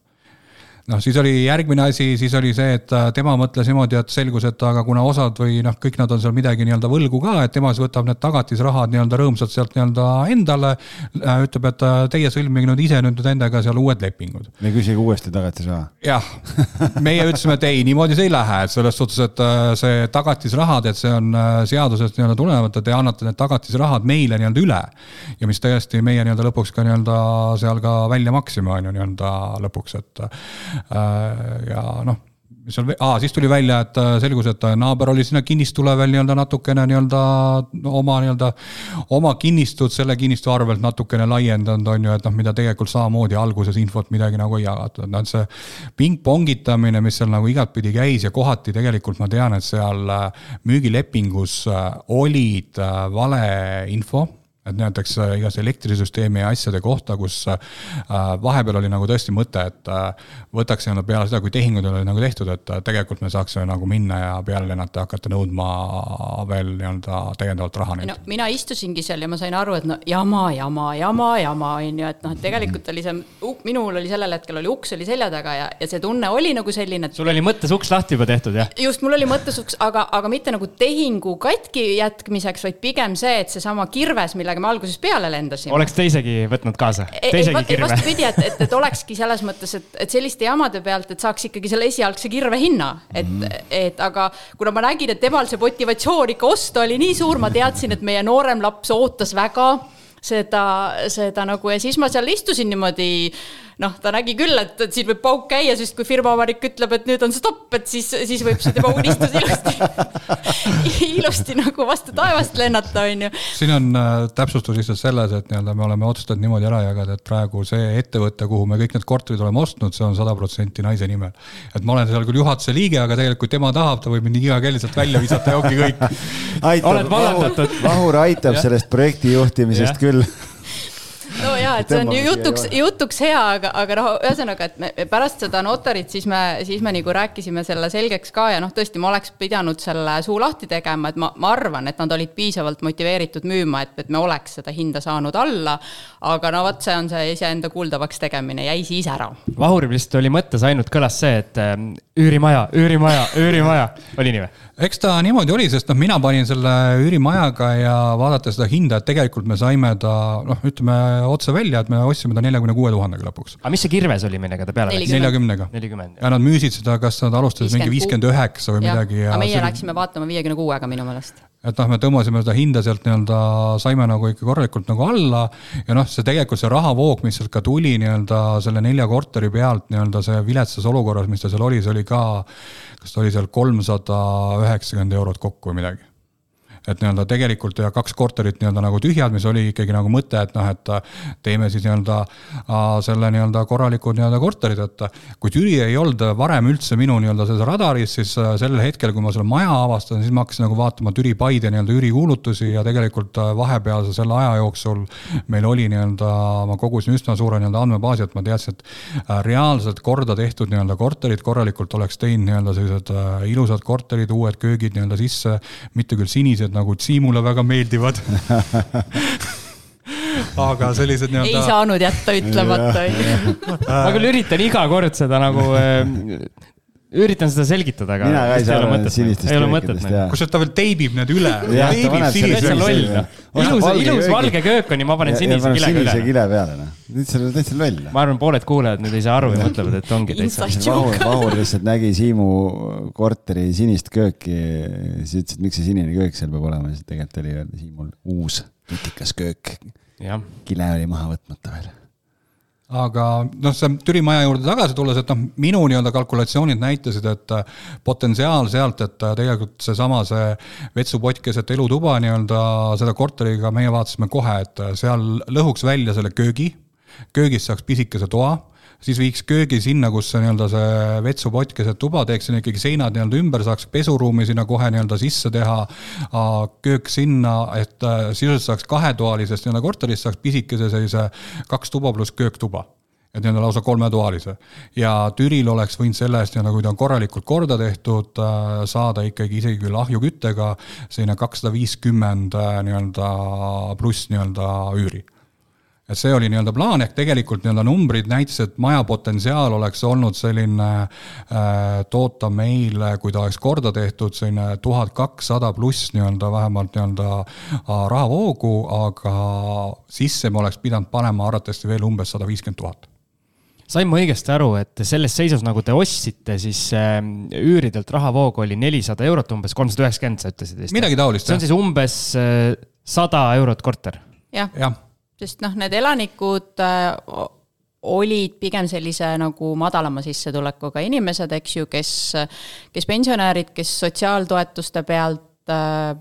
E: noh, siis oli järgmine asi, siis oli see, et tema mõtles niimoodi, et selgus, et aga kuna osad või noh, kõik nad on seal midagi nii-öelda võlgu ka, et tema siis võtab need tagatisrahad nii-öelda rõõmsalt sealt nii-öelda endale, ütleb, et teie sõlmige nüüd ise nüüd endaga seal uued lepingud.
D: Me küsige uuesti tagatisraha.
E: Jah, meie ütlesime, et ei, niimoodi see ei lähe, et selles suhtes, et see tagatisrahad, et see on seadusest nii-öelda tulevat, et te annate need tagatisrahad meile nii-öelda üle ja mis tõesti meie nii-öelda lõpuks ka nii-öelda seal ka välja maksime on ju nii-öelda lõpuks, et ja noh, mis on, aa, siis tuli välja, et selgus, et naaber oli sinna kinnistule veel nii-öelda natukene nii-öelda oma nii-öelda oma kinnistud selle kinnistu arvelt natukene laiendanud on ju, et noh, mida tegelikult samamoodi alguses infot midagi nagu ei jagatud. No, see ping-pongitamine, mis seal nagu igatpidi käis ja kohati tegelikult ma tean, et seal müügilepingus olid vale info, et näiteks igas elektrisüsteemi ja asjade kohta, kus vahepeal oli nagu tõesti mõte, et võtaks enda peale seda, kui tehingud oli nagu tehtud, et tegelikult me saaksime nagu minna ja peale lennata hakata nõudma veel nii-öelda täiendavalt raha.
F: No, mina istusingi seal ja ma sain aru, et no jama, jama, jama, jama on ju, et noh, tegelikult oli see, minul oli sellel hetkel oli uks oli selja taga ja, ja see tunne oli nagu selline, et
C: sul oli mõttes uks lahti juba tehtud, jah?
F: Just, mul oli mõttes uks, aga, aga mitte nagu tehingu katki jätkmiseks, vaid pigem see, et see sama kirves, millega millega me alguses peale lendasime.
C: Oleks teisegi võtnud kaasa? Teisegi kirve?
F: Vastupidi, et, et, et olekski selles mõttes, et, et selliste jamade pealt, et saaks ikkagi selle esialgse kirve hinna. Et, mm. et aga kuna ma nägin, et temal see motivatsioon ikka osta oli nii suur, ma teadsin, et meie noorem laps ootas väga seda, seda nagu ja siis ma seal istusin niimoodi noh, ta nägi küll, et, et siin võib pauk käia, sest kui firmavarik ütleb, et nüüd on stopp, et siis, siis võib see tema unistus ilusti, ilusti nagu vastu taevast lennata, on ju.
E: Siin on äh, täpsustus lihtsalt selles, et nii-öelda me oleme otsustanud niimoodi ära jagada, et praegu see ettevõte, kuhu me kõik need korterid oleme ostnud, see on sada protsenti naise nimel. Et ma olen seal küll juhatuse liige, aga tegelikult kui tema tahab, ta võib mind iga kell lihtsalt välja visata ja ongi kõik.
D: Aitab, Vahur, Vahur aitab sellest projekti juhtimisest ja. Küll.
F: No jaa, et see on ju jutuks, jutuks hea, aga, aga noh, ühesõnaga, et me pärast seda notarit siis me, siis me nagu rääkisime selle selgeks ka ja noh, tõesti, ma oleks pidanud selle suu lahti tegema, et ma, ma arvan, et nad olid piisavalt motiveeritud müüma, et, et me oleks seda hinda saanud alla, aga no võt, see on see iseenda kuuldavaks tegemine, jäi siis ära.
C: Vahuril vist oli mõttes ainult kõlas see, et üürimaja, üürimaja, üürimaja, oli nii või?
E: Eks ta niimoodi oli, sest noh, mina panin selle üürimajaga ja vaadata seda hinda, et tegelikult me saime ta, noh, ütleme otse välja, et me ostsime ta nelikümmend kuus tuhat lõpuks.
C: Aga mis see kirves oli, millega ta peale läks?
E: nelikümmend.
C: nelikümmend.
E: Ja nad müüsid seda, kas nad alustasid mingi viiskümmend üheksa või ja. Midagi.
F: Ja aga meie läksime vaatama viiekümne kuuega minu meelest.
E: Et noh, me tõmbasime seda hinda sealt nii-öelda, saime nagu ikka korralikult nagu alla ja noh, see tegelikult see rahavoog, mis sealt ka tuli nii-öelda selle nelja korteri pealt nii-öelda see viletsas olukorras, mis ta seal oli, see oli ka, kas ta oli seal kolmsada üheksakümmend eurot kokku või midagi. Et nii-öelda tegelikult ja kaks korterit nii-öelda nagu tühjad, mis oli ikkagi nagu mõte, et noh, et teeme siis nii-öelda selle nii-öelda korralikud nii-öelda korterid, et kui Türi ei olnud varem üldse minu nii-öelda selles radaris, siis sellel hetkel, kui ma selle maja avastan, siis ma hakkasin nagu vaatama Türi Paide nii-öelda ürikuulutusi ja tegelikult vahepealse selle aja jooksul meil oli nii-öelda, ma kogusin üsna suure nii-öelda andmebaasi, et ma teadsin, et reaalselt korda tehtud nii-öelda korterid korralikult oleks teinud nii-öelda sellised ilusad korterid, uued köögid nii-öelda sisse, mitte küll sinised, nagu Siimule väga meeldivad. Aga sellised nii-öelda...
F: Ei saanud jätta ütlemata.
C: Ma küll üritan iga kord seda nagu... Üritan seda selgitada, aga
D: mina ka ei saa aru sinistest köökidest.
E: Kus ta veel teibib need üle?
C: Teibib sinise. Ilus, ilus valge köök on ja ma panen sinise kile üle.
D: Sinise kile peale. Nüüd see on täitsa loll.
C: Ma arvan, pooled kuulejad nüüd ei saa aru ja mõtlevad, et ongi täitsa.
D: Vahur lihtsalt nägi Siimu korteri sinist kööki. Siis ütles, et miks see sinine köök seal peab olema. Siis tegelikult oli Siimul uus tutikas köök. Kile oli maha võtmata veel.
E: Aga noh, see Türi maja juurde tagasi tulles, et noh, minu nii-öelda kalkulatsioonid näitasid, et potentsiaal sealt, et tegelikult see sama see vetsupott keset elutuba nii-öelda seda korteriga meie vaatasime kohe, et seal lõhuks välja selle köögi, köögist saaks pisikese toa, siis viiks köögi sinna, kus see, nii-öelda see vetsupott keset tuba, teeks sinna ikkagi seinad nii-öelda ümber, saaks pesuruumi sinna kohe nii-öelda sisse teha, köök sinna, et sisuliselt saaks kahetoalisest nii-öelda korterist saaks pisikese sellise kaks tuba pluss kööktuba. Et nii-öelda lausa kolmetoalise. Ja Türil oleks võinud selle eest, kui ta on korralikult korda tehtud, saada ikkagi isegi küll ahjuküttega selline kakssada viiskümmend nii-öelda pluss nii-öelda üüri. Et see oli nii-öelda plaan, ehk tegelikult nii-öelda numbrid näitas, et maja potentsiaal oleks olnud selline äh, toota meile, kui ta oleks korda tehtud, selline tuhat kakssada pluss nii-öelda vähemalt nii-öelda äh, rahavoogu, aga sisse me oleks pidanud panema arvatavasti veel umbes sada viiskümmend tuhat.
C: Sain ma õigesti aru, et selles seisus, nagu te ostsite, siis äh, üüridelt rahavoog oli nelisada eurot, umbes kolmsada üheksakümmend, sa ütlesid.
E: Midagi taolist.
C: See on siis umbes äh, sada eurot korter.
F: Jah.
E: Ja.
F: Sest noh, need elanikud äh, olid pigem sellise nagu madalama sissetulekuga inimesed, eks ju, kes, kes pensionäärid, kes sotsiaaltoetuste pealt äh,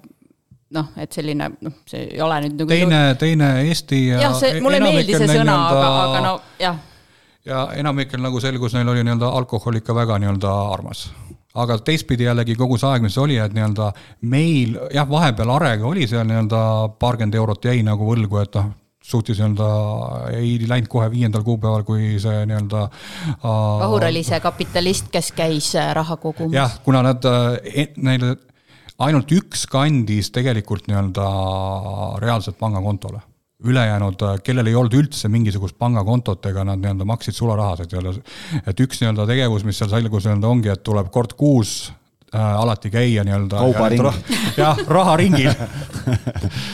F: noh, et selline, noh, see ei ole nüüd nagu...
E: Teine, teine Eesti...
F: Jah, see, mulle meeldi see sõna, aga, aga no, jah.
E: Ja enamikel nagu selgus, neil oli nii-öelda alkohol ikka väga nii-öelda armas. Aga teistpidi jällegi kogu see aeg, mis oli, et nii-öelda meil, jah, vahepeal arega oli seal nii-öelda paarkümmend eurot jäi nagu võlgu, et noh, suutis nii-öelda, ei läinud kohe viiendal kuupäeval, kui see nii-öelda...
F: Vahur oli see kapitalist, kes käis raha kogumas.
E: Jah, kuna nad, neil ainult üks kandis tegelikult nii-öelda reaalselt pangakontole. Ülejäänud, kellel ei olnud üldse mingisugust pangakontot, ega nad nii-öelda maksid sularahased. Et üks nii-öelda tegevus, mis seal selgus nii-öelda ongi, et tuleb kord kuus äh, alati käia nii-öelda.
D: Kaubaring.
E: Jah, raharingil.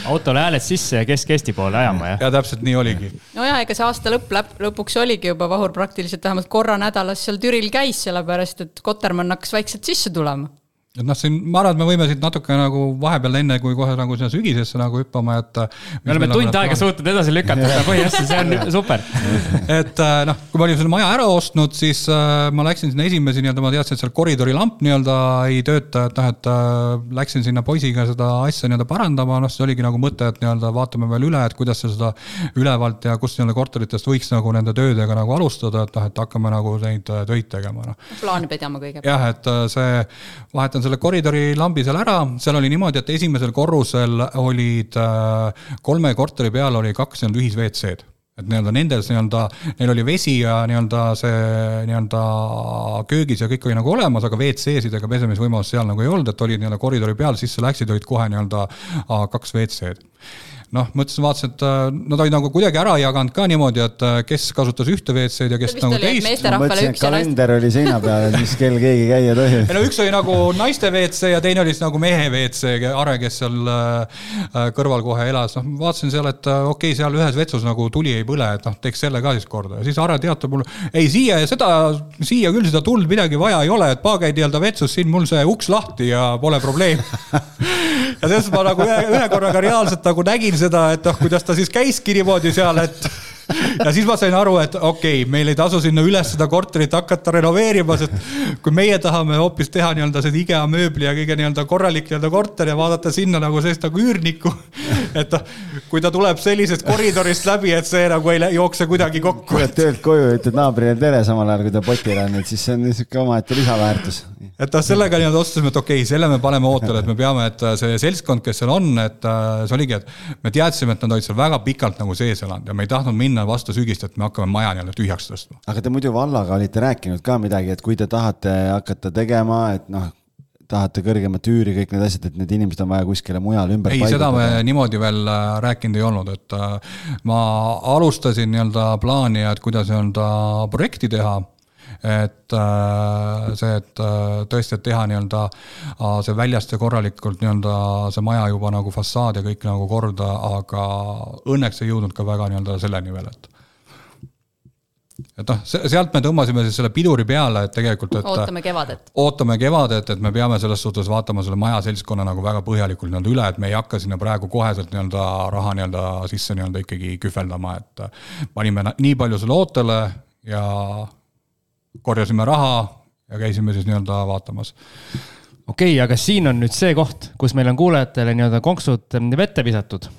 C: Autole hääled sisse ja Kesk-Eesti poole ajama, jah?
E: Ja täpselt nii oligi.
F: No jah, ega see aasta lõpp, lõpuks oligi juba Vahur praktiliselt vähemalt korra nädalas seal Türil käis, sellepärast, et Kotermann hakkas vaikselt sisse tulema.
E: Et noh, siin, ma arvan, et me võime siit natuke nagu vahepeal enne, kui kohe nagu sinna sügisesse nagu hüppama, et
C: me oleme tund aega suutnud edasi lükata seda põhjastel, see on super.
E: Et noh, kui ma olin selle maja ära ostnud, siis ma läksin sinna esimesi, nii-öelda ma teadsin, et seal koridori lamp nii-öelda ei tööta, et noh, et läksin sinna poisiga seda asja nii-öelda parandama, noh, see oligi nagu mõte, et nii-öelda vaatame veel üle, et kuidas seda ülevalt ja kust nii-öelda korteritest võiks nagu nende töödega nagu alustada, et noh, et hakkame nagu neid töid tegema. No.
F: Plaani pidama kõigepealt.
E: Jah, et see vahetan selle koridori lambi seal ära, seal oli niimoodi, et esimesel korrusel olid kolme korteri peal oli kaks nii-öelda ühis V C-d. Et nii-öelda nendes nii-öelda, neil oli vesi ja nii-öelda see nii-öelda köögis ja kõik oli nagu olemas, aga V C-sid ega pesemisvõimalus seal nagu ei olnud, et olid nii-öelda koridori peal, sisse läksid, olid kohe nii-öelda kaks V C-d. Noh, mõtlesin, vaatasin, et nad olid nagu kuidagi ära jaganud ka niimoodi, et kes kasutas ühte V C-d ja kes nagu teist.
D: Ma mõtlesin, et kalender oli seina peal, et mis kell keegi käia tohi.
E: No üks oli nagu naiste V C ja teine oli nagu mehe V C, Are, kes seal kõrval kohe elas. No, vaatasin seal, et okei, okay, seal ühes vetsus nagu tuli ei põle, et noh, teeks selle ka siis korda. Ja siis Are teatab mulle, ei, siia ja seda, siia küll seda tuld midagi vaja ei ole, et paagaid nii-öelda vetsus, siin mul see uks lahti ja pole probleem. Ja sellest ma nagu ühe, ühe korraga reaalselt nagu nägin seda, et noh, kuidas ta siis käiski niimoodi seal, et ja siis ma sain aru, et okei, okay, meil ei tasu sinna üles seda korterit hakata renoveerima, sest kui meie tahame hoopis teha nii-öelda seda IKEA mööbli ja kõige nii-öelda korralik nii-öelda korter ja vaadata sinna nagu sellist nagu üürniku, et kui ta tuleb sellisest koridorist läbi, et see nagu ei jookse kuidagi kokku.
D: Kui oled töölt koju, ütled naabrile tere samal ajal, kui ta potil on, et siis see on niisugune oma, et lisaväärtus.
E: Et ta sellega nii-öelda otsustasime, et okei, okay, selle me paneme ootele, et me peame, et see seltskond, kes seal on, et see oligi, et me teadsime, et nad olid seal väga pikalt nagu sees elanud ja me ei tahtnud minna vastu sügist, et me hakkame maja nii-öelda tühjaks tõstma.
D: Aga te muidu vallaga olite rääkinud ka midagi, et kui te tahate hakata tegema, et noh, tahate kõrgemat üüri, kõik need asjad, et need inimesed on vaja kuskile mujal ümber
E: ei, seda me niimoodi veel rääkinud ei olnud, et ma alustasin nii-öelda plaani, et kuidas nii-öelda projekti teha, et see, et tõesti, et teha nii-öelda see väljast ja korralikult nii-öelda see maja juba nagu fassaad ja kõik nagu korda, aga õnneks ei jõudnud ka väga nii-öelda selleni veel, et et noh, sealt me tõmbasime siis selle piduri peale, et tegelikult, et
F: ootame kevadet.
E: Ootame kevadet, et me peame selles suhtes vaatama selle maja seltskonna nagu väga põhjalikult nii-öelda üle, et me ei hakka sinna praegu koheselt nii-öelda raha nii-öelda sisse nii-öelda ikkagi kühveldama, et panime nii palju selle ootele ja korjasime raha ja käisime siis nii-öelda vaatamas.
C: Okei, aga siin on nüüd see koht, kus meil on kuulajatele nii-öelda konksud vette visatud,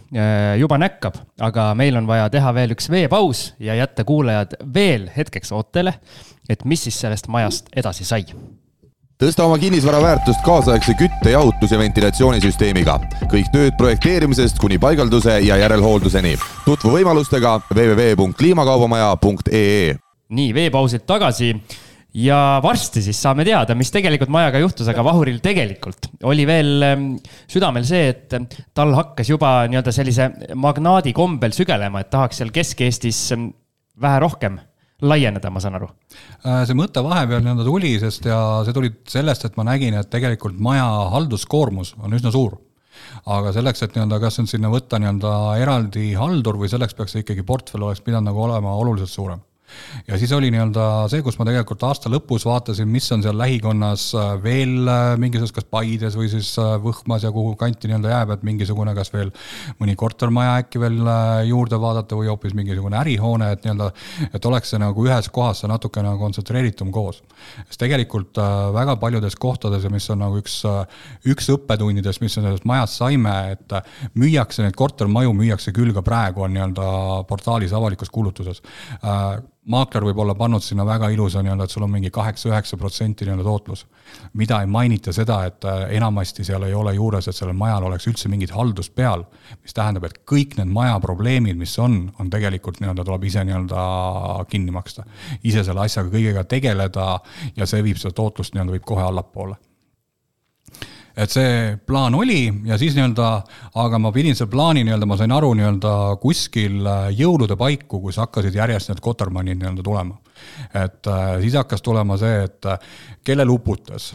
C: juba näkkab, aga meil on vaja teha veel üks veepaus ja jätta kuulajad veel hetkeks ootele, et mis siis sellest majast edasi sai.
A: Tõsta oma kinnisvara väärtust kaasaegse kütte, jahutus ja ventilatsioonisüsteemiga. Kõik tööd projekteerimisest kuni paigalduse ja järelhoolduseni. Tutvu võimalustega w w w punkt kliimakaubamaja punkt e e.
C: Nii, veepausid tagasi ja varsti siis saame teada, mis tegelikult majaga juhtus, aga Vahuril tegelikult oli veel südamel see, et tal hakkas juba nii-öelda sellise magnaadi kombel sügelema, et tahaks seal Kesk-Eestis vähe rohkem laieneda, ma saan aru.
E: See mõte vahepeal nii-öelda tuli, sest ja see tuli sellest, et ma nägin, et tegelikult maja halduskoormus on üsna suur. Aga selleks, et nii-öelda, kas on sinna võtta nii-öelda eraldi haldur või selleks peaks ikkagi portfell oleks pidanud nagu olema oluliselt suurem. Ja siis oli nii-öelda see, kus ma tegelikult aasta lõpus vaatasin, mis on seal lähikonnas veel mingisuguses kas Paides või siis Võhmas ja kuhu kanti nii-öelda jääb, et mingisugune kas veel mõni kortermaja äkki veel juurde vaadata või hoopis mingisugune ärihoone, et nii-öelda, et oleks see nagu ühes kohas see natuke nagu kontsentreeritum koos. Sest tegelikult väga paljudes kohtades, mis on nagu üks, üks õppetundidest, mis on sellest majast saime, et müüakse need kortermaju, müüakse küll ka praegu on nii-öelda portaalis avalikus kuulutuses. Maakler võib olla pannud sinna väga ilusa, nii-öelda, et sul on mingi kaheksa üheksa protsenti nii-öelda tootlus. Mida ei mainita seda, et enamasti seal ei ole juures, et sellel majal oleks üldse mingid haldus peal, mis tähendab, et kõik need maja probleemid, mis on, on tegelikult nii-öelda tuleb ise nii-öelda kinni maksta. Ise selle asjaga kõigega tegeleda ja see viib seda tootlust nii-öelda viib kohe allapoole. Et see plaan oli ja siis nii-öelda, aga ma pidin selle plaani nii-öelda, ma sain aru nii-öelda kuskil jõulude paiku, kus hakkasid järjest need Kotermannid nii-öelda tulema. Et siis hakkas tulema see, et kellel uputas,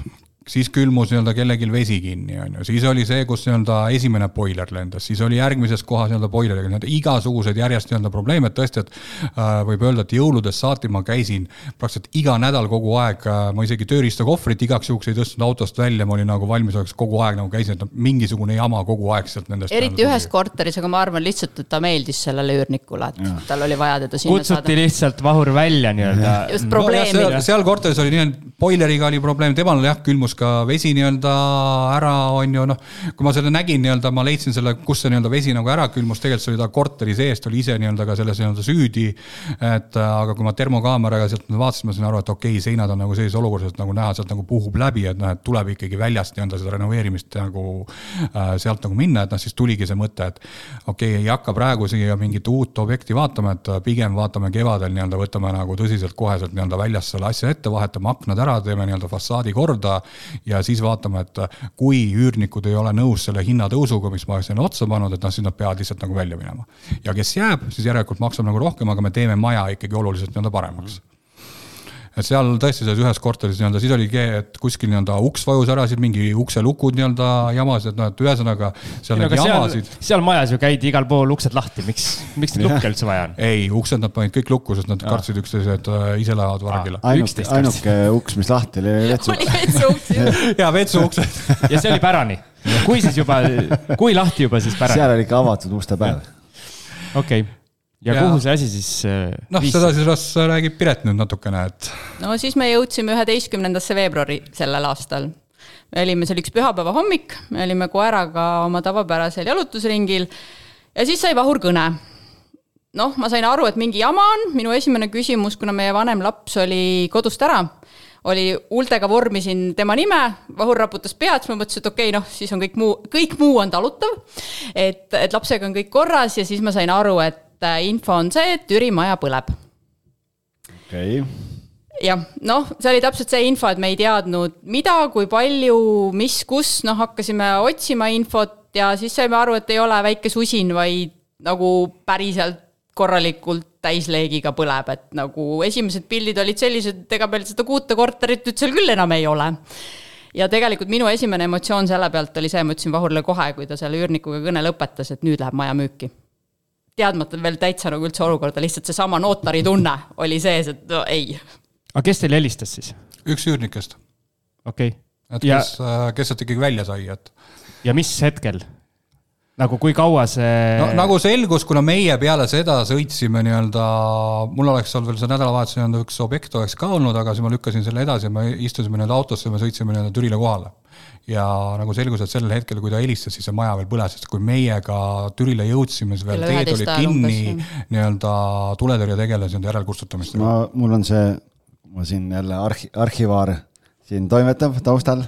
E: siis külmus nii-öelda kellegil vesi kinni, on ju. Siis oli see, kus nii-öelda esimene boiler lendas, siis oli järgmises kohas nii-öelda boileriga, nii-öelda igasugused järjest nii-öelda probleeme, et tõesti, et äh, võib öelda, et jõuludes saati ma käisin praktiliselt iga nädal kogu aeg, äh, ma isegi tööriista kohvrit igaks juhuks ei tõstnud autost välja, ma olin nagu valmis oleks kogu aeg nagu käisin, et mingisugune jama kogu aeg sealt nendest.
F: Eriti ühes korteris, aga ma arvan lihtsalt, et ta meeldis sellele üürnikule, et ja. Tal oli vaja teda sinna
C: kutsuti saada. Lihtsalt Vahur välja nii-öelda.
F: Just probleemid.
E: No, seal, seal korteris oli nii, boileriga oli probleem, temal jah, külmus ka vesi nii-öelda ära on ju, noh, kui ma selle nägin nii-öelda, ma leidsin selle, kus see nii-öelda vesi nagu ära külmus, tegelikult see oli ta korteri seest, oli ise nii-öelda ka selles nii-öelda süüdi, et aga kui ma termokaameraga sealt vaatasin, ma sain aru, et okei, seinad on nagu sellises olukorras, et nagu näha, sealt nagu puhub läbi, et noh, et tuleb ikkagi väljast nii-öelda seda renoveerimist nagu äh, sealt nagu minna, et noh, siis tuligi see mõte, et okei, ei hakka praegu siia mingit uut objekti vaatama, et pigem vaatame kevadel nii-öelda, võtame nagu tõsiselt koheselt nii-öelda väljas selle asja ette, vahetame aknad ära, teeme nii-öelda fassaadi korda ja siis vaatame, et kui üürnikud ei ole nõus selle hinnatõusuga, mis ma olen otsa pannud, et noh, siis nad peavad lihtsalt nagu välja minema. Ja kes jääb, siis järelikult maksab nagu rohkem, aga me teeme maja ikkagi oluliselt nii-öelda paremaks. Et seal tõesti selles ühes korteris nii-öelda, siis oli, et kuskil nii-öelda uks vajus ära, siis mingi ukselukud nii-öelda jamasid, et noh, et ühesõnaga seal need jamasid.
C: Seal, seal majas ju käidi igal pool uksed lahti, miks, miks need lukke üldse vaja on?
E: Ei, uksed nad panid kõik lukku, sest nad ja. Kartsid üksteised ise lähevad vargile.
D: Ainuke, ainuke uks, mis lahti oli vetsu.
F: Oli vetsu uksed.
E: Ja vetsu uksed.
C: Ja see oli pärani. Kui siis juba, kui lahti juba siis pärani?
D: Seal oli ikka avatud uste päev.
C: Okei. Ja, ja kuhu see asi siis
E: noh, viis? Seda siis räägib Piret nüüd natukene, et
F: no siis me jõudsime üheteistkümnendasse veebruari sellel aastal. Me olime, see oli üks pühapäeva hommik, me olime koeraga oma tavapärasel jalutusringil ja siis sai Vahur kõne. Noh, ma sain aru, et mingi jama on. Minu esimene küsimus, kuna meie vanem laps oli kodust ära, oli huultega vormisin tema nime, Vahur raputas pead, ma mõtlesin, et okei, okay, noh, siis on kõik muu, kõik muu on talutav, et, et lapsega on kõik korras ja siis ma sain aru, et info on see, et Türi maja põleb.
D: Okei.
F: Ja, noh, see oli täpselt see info, et me ei teadnud mida, kui palju, mis, kus, noh, hakkasime otsima infot ja siis saime aru, et ei ole väike susin, vaid nagu päriselt korralikult täisleegiga põleb, et nagu esimesed pildid olid sellised, et ega meil seda kuute korterit nüüd seal küll enam ei ole. Ja tegelikult minu esimene emotsioon selle pealt oli see, ma ütlesin Vahurile kohe, kui ta selle üürnikuga kõne lõpetas, et nüüd läheb maja müüki. Teadmata veel täitsa nagu üldse olukorda, lihtsalt see sama notari tunne oli sees, et no ei.
C: Aga kes teil helistas siis?
E: Üks üürnikest.
C: Okei.
E: Okay. Et ja... kes, kes sealt ikkagi välja sai, et...
C: Ja mis hetkel? Nagu kui kaua see...
E: No, nagu selgus, kuna meie peale seda sõitsime nii-öelda, mul oleks olnud veel see nädalavahetus nii-öelda üks objekt oleks ka olnud, aga siis ma lükkasin selle edasi ja me istusime nii-öelda autosse ja me sõitsime nii-öelda Türile kohale. Ja nagu selgus, et sellel hetkel, kui ta helistas, siis see maja veel põles, sest kui meiega Türile jõudsime, siis veel teed olid kinni nii-öelda tuletõrje tegeles järelkustutamist.
D: Ma, mul on see, ma siin jälle arhi, arhivaar siin toimetab taustal.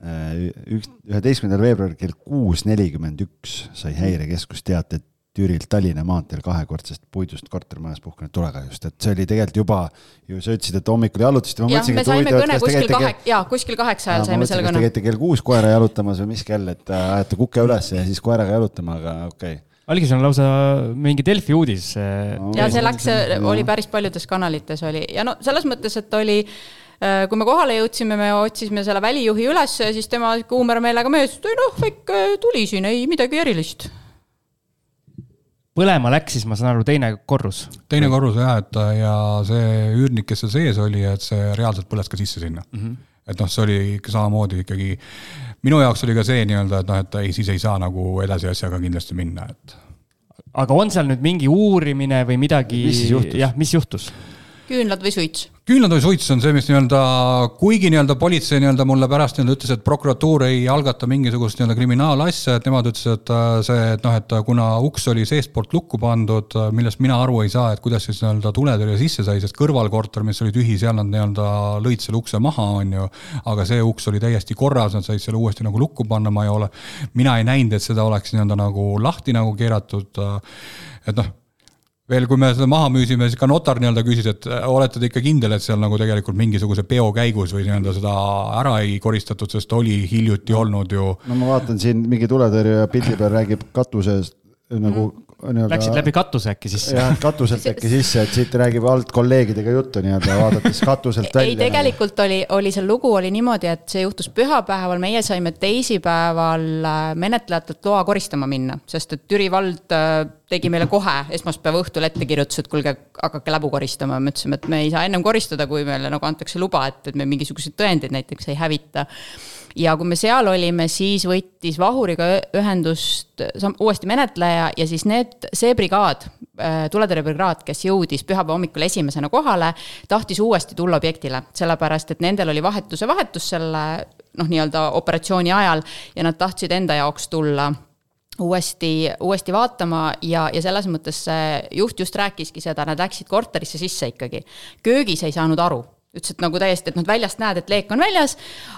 D: üheteistkümnendal veebruaril kell kuus nelikümmend üks sai Häirekeskus teate Türilt Tallinna maanteel kahekordsest puidust kortermajas puhkenud tulekahjust, et see oli tegelikult juba, ju sa ütlesid, et hommikul jalutasite.
F: Jah, me saime kõne kuskil, kahek, jaa, kuskil kaheksa ajal saime selle kõne.
D: Te käite kell kuus koera jalutamas või mis kell, et ajate kukke üles ja siis koeraga jalutama, aga okei. Okay.
C: Oligi see on lausa mingi Delfi uudis.
F: No, ja see läks, oli päris paljudes kanalites oli. Ja no selles mõttes, et oli kui me kohale jõudsime, me otsisime selle välijuhi üles ja siis tema kuumera meelega mees, et noh, väike tuli siin, ei midagi erilist.
C: Põlema läks siis, ma saan aru, teine korrus.
E: Teine korrus, jah, et ja see üürnik, kes see sees oli, et see reaalselt põles ka sisse sinna. Mm-hmm. Et noh, see oli samamoodi ikkagi, minu jaoks oli ka see nii-öelda, et noh, et ei, siis ei saa nagu edasi asjaga kindlasti minna. Et...
C: Aga on seal nüüd mingi uurimine või midagi?
D: Mis juhtus?
C: Jah, mis juhtus?
F: Küünlad või suits?
E: Küünlad või suits on see, mis nii-öelda, kuigi nii-öelda politsei nii-öelda mulle pärast nii-öelda ütles, et prokuratuur ei algata mingisugust nii-öelda kriminaalasja, et nemad ütles, et see, et noh, et kuna uks oli seestpoolt lukku pandud, millest mina aru ei saa, et kuidas siis nii-öelda tuletõrje sisse sai, sest kõrvalkorter, mis oli tühi, seal nad nii-öelda lõid selle ukse maha, on ju, aga see uks oli täiesti korras, nad said selle uuesti nagu lukku panna, ma ei ole, mina ei näinud, et seda oleks nii-öelda nagu lahti nagu keeratud, et noh, veel kui me seda maha müüsime, siis ka notar nii-öelda küsis, et olete te ikka kindel, et seal nagu tegelikult mingisuguse peo käigus või nii-öelda seda ära ei koristatud, sest oli hiljuti olnud ju.
D: No ma vaatan siin mingi tuletõrje ja pildi peal räägib katuses nagu
C: Läksid läbi katuse äkki sisse.
D: Jah, katuselt äkki sisse, et siit räägib alt kolleegidega juttu nii-öelda vaadates katuselt välja.
F: Ei, tegelikult oli, oli see lugu oli niimoodi, et see juhtus pühapäeval, meie saime teisipäeval menetlejatelt loa koristama minna, sest et Türi vald tegi meile kohe esmaspäeva õhtul ette kirjutus, et kulge, hakake läbu koristama. Me ütlesime, et me ei saa ennem koristada, kui meile nagu antakse luba, et, et me mingisuguseid tõendeid näiteks ei hävita. Ja kui me seal olime, siis võttis Vahuriga ühendust uuesti menetleja ja siis need, see brigaad, tuletõrjebrigaad, kes jõudis pühapäeva hommikul esimesena kohale, tahtis uuesti tulla objektile, sellepärast, et nendel oli vahetuse vahetus selle noh, nii-öelda operatsiooni ajal ja nad tahtsid enda jaoks tulla uuesti, uuesti vaatama ja, ja selles mõttes juht just rääkiski seda, nad läksid korterisse sisse ikkagi. Köögis ei saanud aru. Ütles, et nagu täiesti, et nad väljast näed, et leek on väljas,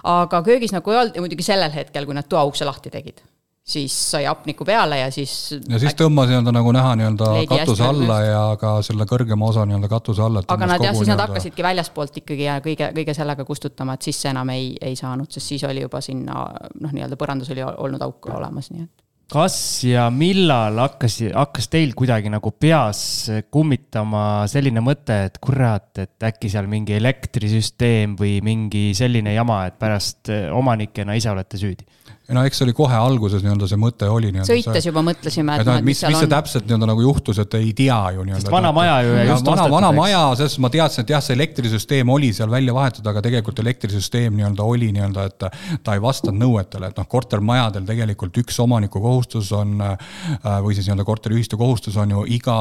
F: aga köögis nagu ei olnud ja muidugi sellel hetkel, kui nad toaukse lahti tegid. Siis sai apniku peale ja siis...
E: Ja siis tõmbas nii-öelda nagu näha nii-öelda katuse alla ja ka selle kõrgema osa nii-öelda katuse alla.
F: Aga nad, jah, siis nad hakkasidki väljaspoolt ikkagi ja kõige, kõige sellega kustutama, et siis see enam ei, ei saanud, sest siis oli juba sinna, noh, nii-öelda põrandus oli olnud auk olemas, nii et...
C: Kas ja millal hakkas, hakkas teil kuidagi nagu peas kummitama selline mõte, et kurat, et äkki seal mingi elektrisüsteem või mingi selline jama, et pärast omanikena ise olete süüdi?
E: No eks oli kohe alguses nii-öelda see mõte oli nii-öelda
F: sõites
E: see,
F: juba mõtlesime, et,
E: et, et mis, mis see täpselt nii-öelda nagu juhtus, et ei tea ju
C: nii-öelda. Sest vana maja ju ja just
E: vana, vana maja, sest ma teadsin, et jah, see elektrisüsteem oli seal välja vahetud, aga tegelikult elektrisüsteem nii-öelda oli nii-öelda, et ta ei vastanud nõuetele, et noh, kortermajadel tegelikult üks omaniku kohustus on või siis nii-öelda korteriühistu kohustus on ju iga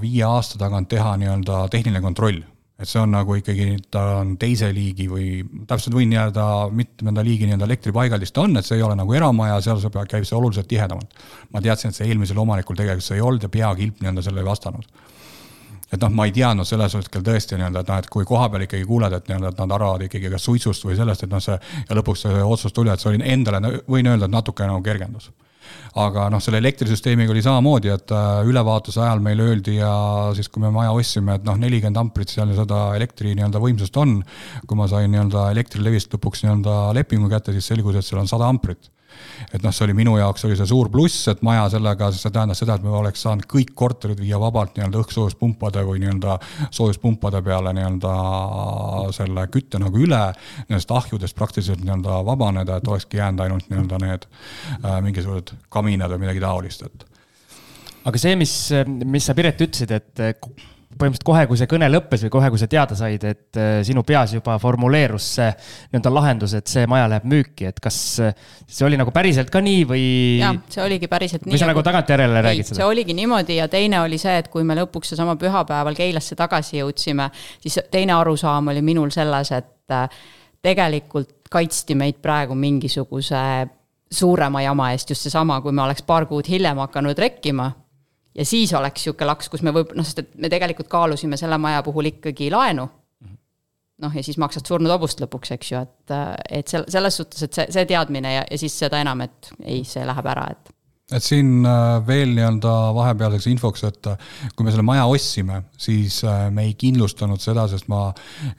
E: viie aasta tagant teha nii-öelda tehniline kontroll. Et see on nagu ikkagi, ta on teise liigi või täpselt võin jääda mitmenda liigi nii-öelda elektripaigaldist on, et see ei ole nagu eramaja, seal see käib see oluliselt tihedamalt. Ma teadsin, et see eelmisel omanikul tegelikult see ei olnud ja peakilp nii-öelda selle ei vastanud. Et noh, ma ei teadnud selles hetkel tõesti nii-öelda, et, noh, et kui koha peal ikkagi kuuled, et, nii-öelda, et nad arvavad ikkagi kas suitsust või sellest, et noh see, ja lõpuks see otsus tuli, et see oli endale, võin öelda, et natuke nagu kergendus. Aga noh, selle elektrisüsteemiga oli samamoodi, et ülevaatuse ajal meil öeldi ja siis kui me maja ostsime, et noh, nelikümmend amprit seal seda elektri nii-öelda võimsust on, kui ma sain nii-öelda elektrilevist lõpuks nii-öelda lepingu kätte, siis selgus, et seal on sada amprit. Et noh, see oli minu jaoks oli see suur pluss, et maja sellega, see tähendas seda, et me oleks saanud kõik korterid viia vabalt nii-öelda õhksoojuspunpade või nii-öelda soojuspunpade peale nii-öelda selle kütte nagu üle, nendest ahjudest praktiliselt nii-öelda vabaneda, et olekski jäänud ainult nii-öelda need äh, mingisugused kaminad või midagi taolist. Et.
C: Aga see, mis, mis sa Piret ütlesid, et põhimõtteliselt kohe, kui see kõne lõppes või kohe, kui sa teada said, et sinu peas juba formuleerus see nii-öelda lahendus, et see maja läheb müüki, et kas see oli nagu päriselt ka nii või...
F: Jah, see oligi päriselt nii.
C: Või sa nagu tagant järele räägid seda?
F: See oligi niimoodi ja teine oli see, et kui me lõpuks sama pühapäeval Keilasse tagasi jõudsime, siis teine arusaam oli minul selles, et tegelikult kaitsti meid praegu mingisuguse suurema jama eest just seesama, kui me oleks paar kuud hiljem hakanud rekkima. Ja siis oleks siuke laks, kus me võib, noh, sest et me tegelikult kaalusime selle maja puhul ikkagi laenu. Noh, ja siis maksad surnud obust lõpuks, eks ju, et, et selles suhtes, et see, see teadmine ja, ja siis seda enam, et ei, see läheb ära, et.
E: Et siin veel nii-öelda vahepealseks infoks, et kui me selle maja ostsime, siis me ei kindlustanud seda, sest ma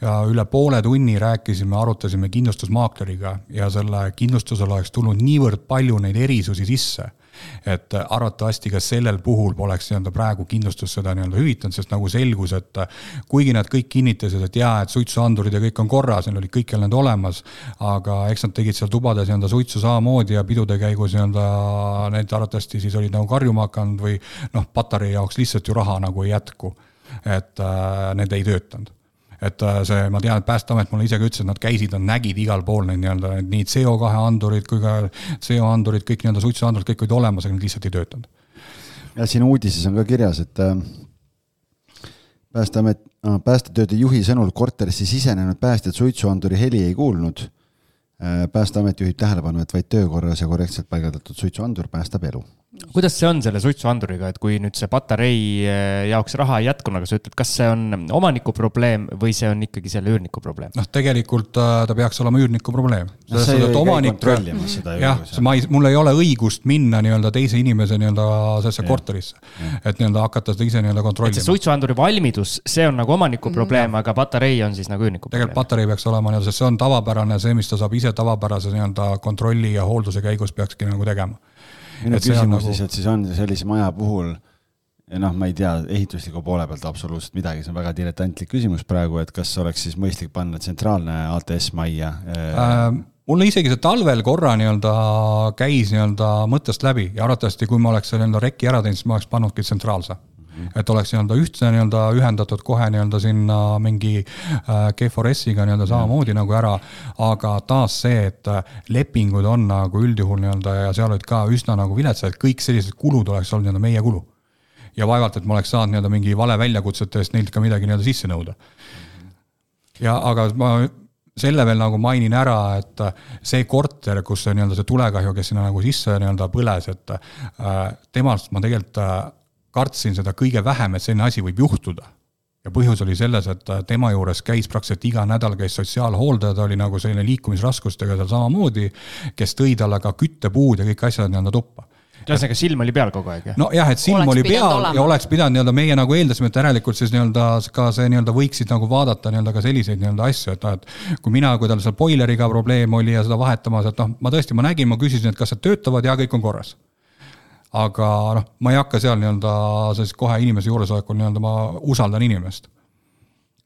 E: üle poole tunni rääkisime, arutasime kindlustusmaakleriga ja selle kindlustusel oleks tulnud niivõrd palju neid erisusi sisse, et arvatavasti ka sellel puhul poleks nii-öelda praegu kindlustus seda nii-öelda hüvitanud, sest nagu selgus, et kuigi nad kõik kinnitasid, et jaa, et suitsuandurid ja kõik on korras, neil oli kõikjal need olemas, aga eks nad tegid seal tubades nii-öelda suitsu samamoodi ja pidude käigus nii-öelda need arvatavasti siis olid nagu karjuma hakanud või noh, patarei jaoks lihtsalt ju raha nagu ei jätku, et äh, need ei töötanud. Et see, ma tean, et Päästeamet mulle isegi ütles, et nad käisid, nad nägid igal pool neid nii-öelda nii C O kahe andurid kui ka C O andurid, kõik nii-öelda suitsuandurid, kõik olid olemas, aga need lihtsalt ei töötanud.
D: Ja siin uudises on ka kirjas, et Päästeamet, päästetööde juhi sõnul korterisse sisenenud päästjad suitsuanduri heli ei kuulnud. Päästeamet juhib tähelepanu, et vaid töökorras ja korrektselt paigaldatud suitsuandur päästab elu.
C: Kuidas see on selle suitsuanduriga, et kui nüüd see patarei jaoks raha ei jätkuna, aga sa ütled, kas see on omaniku probleem või see on ikkagi selle üürniku probleem?
E: Noh, tegelikult ta peaks olema üürniku probleem.
D: No, see ei omanik, kontrollimas seda.
E: Jah, ma ei, mul ei ole õigust minna nii-öelda teise inimese nii-öelda sellesse korterisse, et nii-öelda hakata seda ise nii-öelda kontrollima.
C: Et see suitsuanduri valmidus, see on nagu omaniku probleem, aga patarei on siis nagu üürniku probleem.
E: Tegelikult patarei peaks olema, nii-öelda, see on tavapärane, see, mis ta saab ise tavapärase nii-öelda kontrolli ja hoolduse käigus peakski nagu tegema.
D: minu küsimus nagu... siis, et siis on sellise maja puhul ja noh, ma ei tea ehitusliku poole pealt absoluutselt midagi, see on väga diletantlik küsimus praegu, et kas oleks siis mõistlik panna tsentraalne A T S-majja?
E: Äh, mulle isegi see talvel korra nii-öelda käis nii-öelda mõttest läbi ja arvatavasti, kui ma oleks nii-öelda rekki ära teinud, siis ma oleks pannudki tsentraalse. Mm-hmm. Et oleks nii-öelda ühtse nii-öelda ühendatud kohe nii-öelda sinna mingi G four S-iga nii-öelda samamoodi mm-hmm. nagu ära, aga taas see, et lepingud on nagu üldjuhul nii-öelda ja seal olid ka üsna nagu viletsad, et kõik sellised kulud oleks olnud nii-öelda meie kulu. Ja vaevalt, et ma oleks saanud nii-öelda mingi vale väljakutsete eest neilt ka midagi nii-öelda sisse nõuda. Ja aga ma selle veel nagu mainin ära, et see korter, kus see, nii-öelda see tulekahju, kes sinna nagu sisse nii-öelda põles, et temast ma tegelikult kartsin seda kõige vähem, et selline asi võib juhtuda. Ja põhjus oli selles, et tema juures käis praktiliselt iga nädal käis sotsiaalhooldaja, ta oli nagu selline liikumisraskustega seal samamoodi, kes tõi talle ka küttepuud ja kõik asjad nii-öelda tuppa.
C: Ühesõnaga silm oli peal kogu aeg, jah?
E: No jah, et silm oleks oli peal olema. Ja oleks pidanud nii-öelda meie nagu eeldasime, et järelikult siis nii-öelda ka see nii-öelda võiksid nagu vaadata nii-öelda ka selliseid nii-öelda asju, et, et kui mina, kui tal seal boileriga probleem oli ja seda vahetamas, et noh, ma tõesti, ma nägin, ma küsisin, et kas see töötavad ja kõik on korras. Aga noh, ma ei hakka seal nii-öelda siis kohe inimese juuresolekul nii-öelda ma usaldan inimest.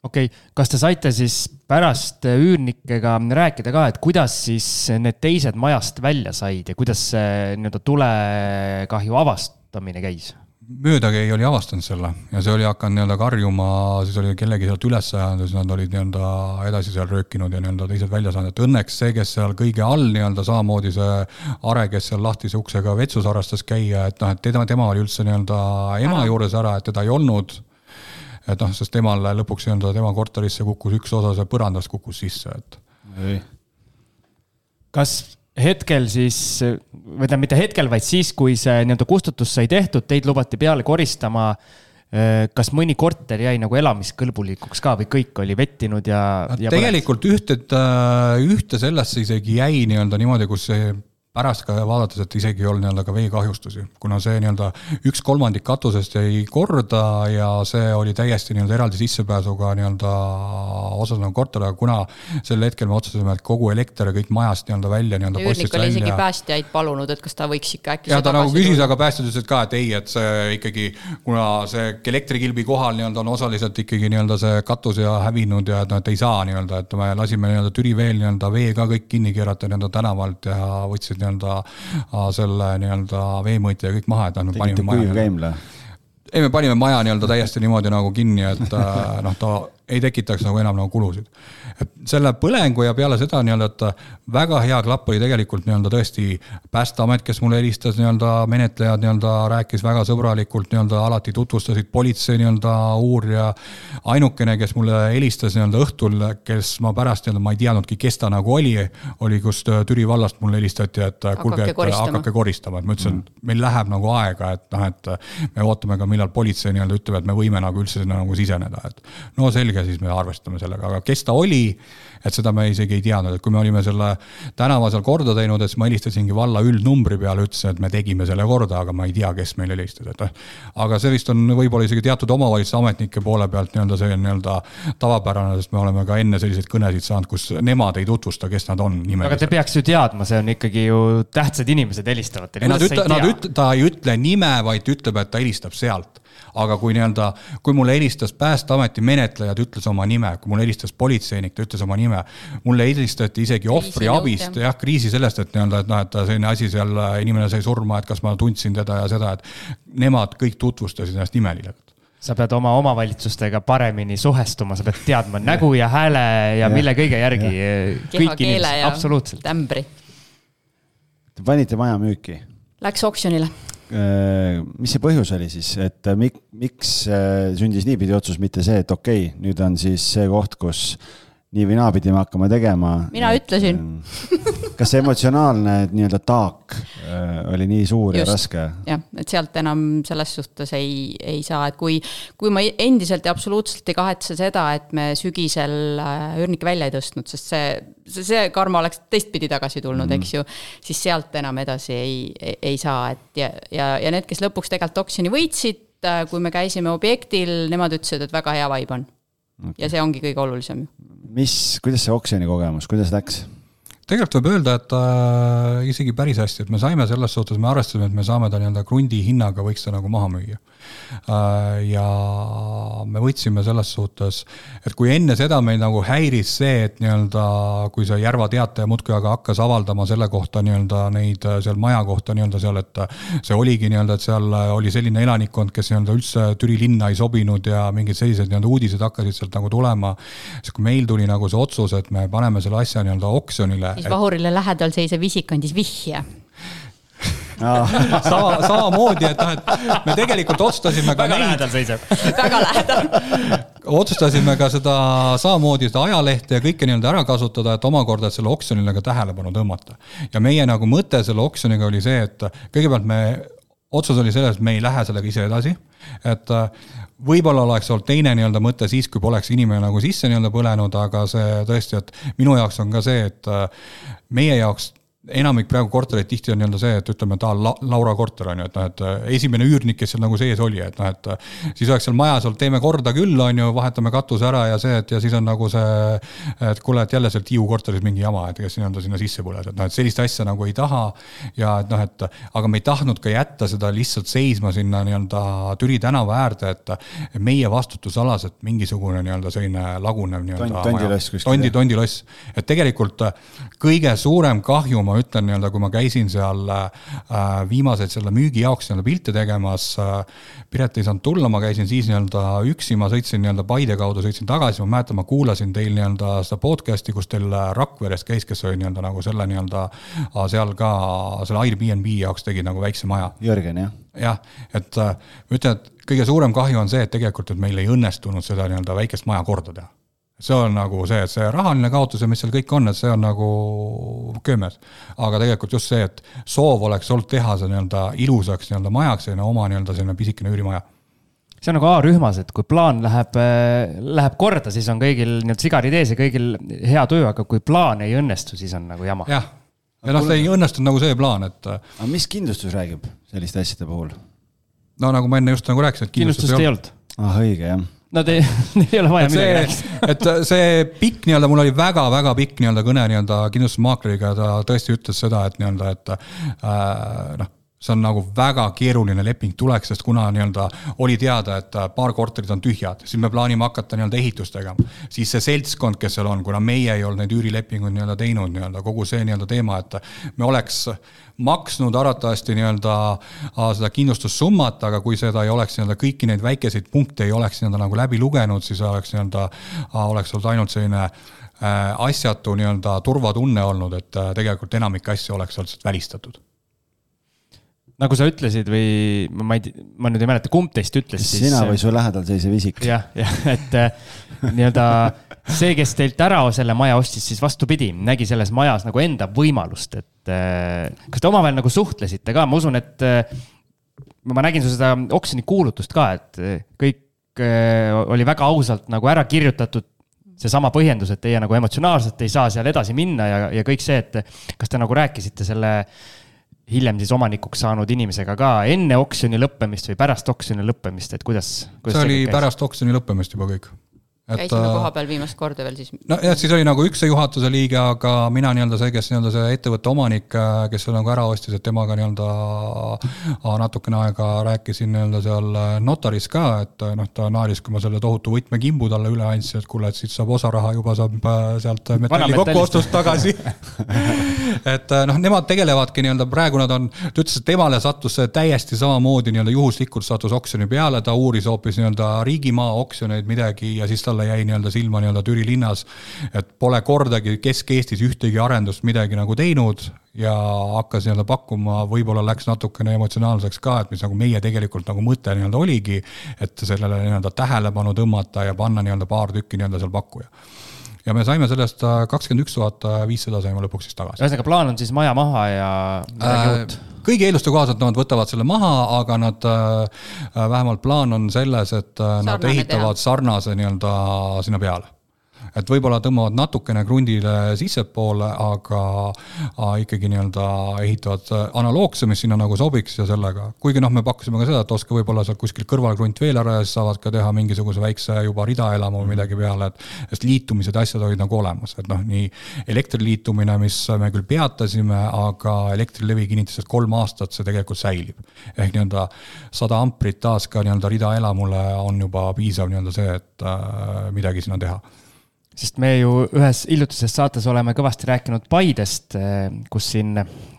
C: Okei, okay. Kas te saite siis pärast üürnikega rääkida ka, et kuidas siis need teised majast välja said ja kuidas see nii-öelda tulekahju avastamine käis?
E: Möödagi ei oli avastanud selle ja see oli hakanud nii-öelda karjuma, siis oli kellegi sealt üles ajanud, siis nad olid nii-öelda edasi seal röökinud ja nii-öelda teised välja saanud. Et õnneks see, kes seal kõige all nii-öelda samamoodi see Are, kes seal lahtise uksega vetsus harrastas käia, et noh, et tema, tema oli üldse nii-öelda ema ära. Juures ära, et teda ei olnud. Et noh, sest temal lõpuks nii-öelda tema korterisse kukkus üks osa see põrandast kukkus sisse. Et...
D: Ei.
C: Kas hetkel siis, või ta mitte hetkel, vaid siis, kui see nii-öelda kustutus sai tehtud, teid lubati peale koristama, kas mõni korter jäi nagu elamiskõlbulikuks ka või kõik oli vettinud ja... ja
E: tegelikult ühte, ühte sellest isegi jäi nii-öelda niimoodi, kus see pärast ka vaadates, et isegi ei olnud nii-öelda ka veekahjustusi, kuna see nii-öelda üks kolmandik katusest jäi korda ja see oli täiesti nii-öelda eraldi sissepääsuga nii-öelda osas nagu korter, aga kuna sel hetkel me otsustasime, et kogu elekter ja kõik majast nii-öelda välja nii-öelda
F: postist välja. Üürnik oli isegi päästjaid palunud, et kas ta võiks ikka äkki
E: ja ta nagu küsis, aga päästjad ütlesid ka, et ei, et see ikkagi, kuna see elektrikilbi kohal nii-öelda on osaliselt ikkagi nii-öelda see katus ja hävinud ja et, no, et ei saa nii-öelda, et me lasime nii-öelda Türi veel nii-öelda vee ka kõik kinni keerata nii-öelda tänavalt ja võtsid nii-öelda selle nii-öelda veemõõtja ja kõik maha, et me panime maja. Ei, me panime maja nii-öelda täiesti niimoodi nagu kinni, et noh, ta ei tekitaks nagu enam nagu kulusid. Et selle põlengu ja peale seda nii-öelda, et väga hea klapp oli tegelikult nii-öelda tõesti Päästeamet, kes mulle helistas nii-öelda menetlejad nii-öelda rääkis väga sõbralikult nii-öelda alati tutvustasid politsei nii-öelda uurija ainukene, kes mulle helistas nii-öelda õhtul, kes ma pärast nii-öelda ma ei teadnudki, kes ta nagu oli, oli kust Türi vallast mulle helistati, et kulge, et hakake koristama, et ma ütlesin, et meil läheb nagu aega, et noh, et me ootame ka millal politsei nii-öelda ütleb, et me võime nagu üldse sinna nagu siseneda, et no selge, siis me arvestame sellega, aga kes ta oli, et seda me isegi ei teadnud, et kui me olime selle tänava seal korda teinud, et ma helistasingi valla üldnumbri peale, ütlesin, et me tegime selle korda, aga ma ei tea, kes meil helistas, et aga see vist on võib-olla isegi teatud omavalitsuse ametnike poole pealt nii-öelda see nii-öelda tavapärane, sest me oleme ka enne selliseid kõnesid saanud, kus nemad ei tutvusta, kes nad on nimeliselt.
C: Aga te peaks ju teadma, see on ikkagi ju tähtsad inimesed helistavad.
E: Ei, nad ütle, nad ütle, ta ei ütle nime, vaid ütleb, et ta helistab sealt. Aga kui nii-öelda, kui mulle helistas Päästeameti menetlejad, ütles oma nime, kui mulle helistas politseinik, ta ütles oma nime, mulle helistati isegi ohvri abist, jah, kriisi sellest, et nii-öelda, et noh, et selline asi seal inimene sai surma, et kas ma tundsin teda ja seda, et nemad kõik tutvustasid ennast nimeliselt.
C: Sa pead oma omavalitsustega paremini suhestuma, sa pead teadma nägu ja hääle ja, ja mille kõige järgi.
F: Keha keele ja absoluutselt. Tämbri.
D: Te panite maja müüki?
F: Läks oksjonile.
D: Mis see põhjus oli siis, et mik, miks sündis niipidi otsus, mitte see, et okei, okay, nüüd on siis see koht, kus nii või naapidi me hakkame tegema.
F: Mina et, ütlesin.
D: Kas see emotsionaalne nii-öelda taak oli nii suur Just, ja raske?
F: Jah, et sealt enam selles suhtes ei, ei saa, et kui, kui ma endiselt ja absoluutselt ei kahetse seda, et me sügisel üürnike välja ei tõstnud, sest see, see karma oleks teistpidi tagasi tulnud, mm. eks ju, siis sealt enam edasi ei, ei, ei saa. Et ja, ja, ja need, kes lõpuks tegelikult oksjoni võitsid, kui me käisime objektil, nemad ütlesid, et väga hea vibe on. Okay. Ja see ongi kõige olulisem.
D: Mis, kuidas see oksjoni kogemus, kuidas läks?
E: tegelikult võib öelda, et äh, isegi päris hästi, et me saime selles suhtes, me arvestasime, et me saame ta nii-öelda krundi hinnaga võiks ta nagu maha müüa. Äh, ja me võtsime selles suhtes, et kui enne seda meil nagu häiris see, et nii-öelda, kui see Järva teataja muudkui aga hakkas avaldama selle kohta nii-öelda neid seal maja kohta nii-öelda seal, et see oligi nii-öelda, et seal oli selline elanikkond, kes nii-öelda üldse Türi linna ei sobinud ja mingid sellised nii-öelda uudised hakkasid sealt nagu tulema, siis kui meil tuli nagu see otsus, et me paneme selle asja nii-öelda oksjonile,
F: siis Vahurile lähedal seisev isik andis vihje.
E: sama, sama moodi, et, et me tegelikult otsustasime ka
C: väga
E: neid,
C: lähedal seiseb.
F: väga lähedal.
E: otsustasime ka seda samamoodi seda ajalehte ja kõike nii-öelda ära kasutada, et omakorda et selle oksjonile ka tähelepanu tõmmata. Ja meie nagu mõte selle oksjoniga oli see, et kõigepealt me otsus oli selles, et me ei lähe sellega ise edasi, et võib-olla oleks olnud teine nii-öelda mõte siis, kui poleks inimene nagu sisse nii-öelda põlenud, aga see tõesti, et minu jaoks on ka see, et meie jaoks enamik praegu kortereid tihti on nii-öelda see, et ütleme, ta on Laura korter on ju, et, noh, et esimene üürnik, kes seal nagu sees oli, et, noh, et siis oleks seal majas olnud, teeme korda küll, on ju, vahetame katuse ära ja see, et ja siis on nagu see, et kuule, et jälle seal Tiiu korteris mingi jama, et kes nii-öelda sinna sisse põles, et, noh, et sellist asja nagu ei taha ja et, noh, et aga me ei tahtnud ka jätta seda lihtsalt seisma sinna nii-öelda Türi tänava äärde, et meie vastutusalas, et mingisugune nii-öelda selline lagunev nii-öelda
D: tondiloss,
E: tondi, tondiloss, et tegelikult kõige suurem kahju ma ütlen nii-öelda, kui ma käisin seal äh, viimaseid selle müügi jaoks nii-öelda pilte tegemas, äh, Piret ei saanud tulla, ma käisin siis nii-öelda üksi, ma sõitsin nii-öelda Paide kaudu, sõitsin tagasi, ma mäletan, ma kuulasin teil nii-öelda seda podcasti, kus teil Rakveres käis, kes oli nii-öelda nagu selle nii-öelda seal ka selle Airbnb jaoks tegi nagu väikse maja.
D: Jörgen, jah?
E: Jah, et äh, ma ütlen, et kõige suurem kahju on see, et tegelikult et meil ei õnnestunud seda nii-öelda väikest maja korda teha. See on nagu see, et see rahaline kaotus ja mis seal kõik on, et see on nagu köömes. Aga tegelikult just see, et soov oleks olnud teha see nii-öelda ilusaks nii-öelda majaks ja oma nii-öelda selline pisikene üürimaja.
C: See on nagu A-rühmas, et kui plaan läheb, läheb korda, siis on kõigil nii-öelda sigarid ees ja kõigil hea töö, aga kui plaan ei õnnestu, siis on nagu jama.
E: Jah, ja noh, see ei õnnestunud nagu see plaan, et...
D: Aga mis kindlustus räägib selliste asjade puhul?
E: No nagu ma enne just nagu rääkisin, et
C: kindlustust, kindlustust ei olnud.
D: Ah, õige, jah.
C: No te, ei ole vaja midagi rääkida.
E: Et see pikk nii-öelda, mul oli väga-väga pikk nii-öelda kõne nii-öelda kindlustusmaakleriga, ta tõesti ütles seda, et nii-öelda, et äh, noh, see on nagu väga keeruline leping tuleks, sest kuna nii-öelda oli teada, et paar korterid on tühjad, siis me plaanime hakata nii-öelda ehitust tegema. Siis see seltskond, kes seal on, kuna meie ei olnud neid üürilepinguid nii-öelda teinud, nii-öelda kogu see nii-öelda teema, et me oleks maksnud aratavasti nii-öelda seda kindlustussummat, aga kui seda ei oleks nii-öelda kõiki neid väikeseid punkte ei oleks nii-öelda nagu läbi lugenud, siis oleks nii-öelda oleks olnud ainult selline asjatu nii-öelda turvatunne olnud, et tegelikult enamik asja oleks olnud välistatud.
C: Nagu sa ütlesid või ma, ei, ma nüüd ei mäleta, kumb teist ütles siis...
D: Sina või su lähedal seisev isik.
C: Jah, jah, et nii-öelda see, kes teilt ära selle maja ostis, siis vastupidi, nägi selles majas nagu enda võimalust, et kas te omavahel nagu suhtlesite ka? Ma usun, et ma nägin su seda oksjoni kuulutust ka, et kõik oli väga ausalt nagu ära kirjutatud see sama põhjendus, et teie nagu emotsionaalselt ei saa seal edasi minna ja, ja kõik see, et kas te nagu rääkisite selle hiljem siis omanikuks saanud inimesega ka enne oksjoni lõppemist või pärast oksjoni lõppemist, et kuidas, kuidas
E: see oli pärast oksjoni lõppemist juba kõik.
F: Et, käisime koha peal viimast korda veel siis.
E: No jah, siis oli nagu üks see juhatuse liige, aga mina nii-öelda see, kes nii-öelda see ettevõtte omanik, kes seal nagu ära ostis, et temaga nii-öelda natukene aega rääkisin nii-öelda seal notaris ka, et noh, ta naaris, kui ma selle tohutu võtmekimbu talle üle andsin, et kuule, et siit saab osa raha juba saab sealt metalli kokkuostust tagasi. et noh, nemad tegelevadki nii-öelda, praegu nad on, ta ütles, et temale sattus täiesti samamoodi nii-öelda juhuslikult sattus oksjoni peale, ta uuris hoopis nii-öelda riigimaa oksjoneid midagi ja siis ta jäi nii-öelda silma nii-öelda Türi linnas, et pole kordagi Kesk-Eestis ühtegi arendust midagi nagu teinud ja hakkas nii-öelda pakkuma, võib-olla läks natukene emotsionaalseks ka, et mis nagu meie tegelikult nagu mõte nii-öelda oligi, et sellele nii-öelda tähelepanu tõmmata ja panna nii-öelda paar tükki nii-öelda seal pakkuja. Ja me saime sellest kakskümmend üks tuhat viissada saime lõpuks siis tagasi.
C: Ühesõnaga plaan on siis maja maha ja midagi uut?
E: Kõigi eeluste kohaselt nad võtavad selle maha, aga nad vähemalt plaan on selles, et Sarnane nad ehitavad teha. sarnase nii-öelda sinna peale. et võib-olla tõmbavad natukene krundile sissepoole, aga ikkagi nii-öelda ehitavad analoogse, mis sinna nagu sobiks ja sellega. Kuigi noh, me pakkusime ka seda, et oska võib-olla seal kuskil kõrvalkrunt veel ära ja siis saavad ka teha mingisuguse väikse juba ridaelamu või midagi peale, et sest liitumised asjad olid nagu olemas, et noh, nii elektriliitumine, mis me küll peatasime, aga elektrilevi kinnitas, et kolm aastat see tegelikult säilib. Ehk nii-öelda sada amprit taas ka nii-öelda ridaelamule on juba piisav nii-öelda see, et äh, midagi sinna teha.
C: Sest me ju ühes illutises saates oleme kõvasti rääkinud Paidest, kus siin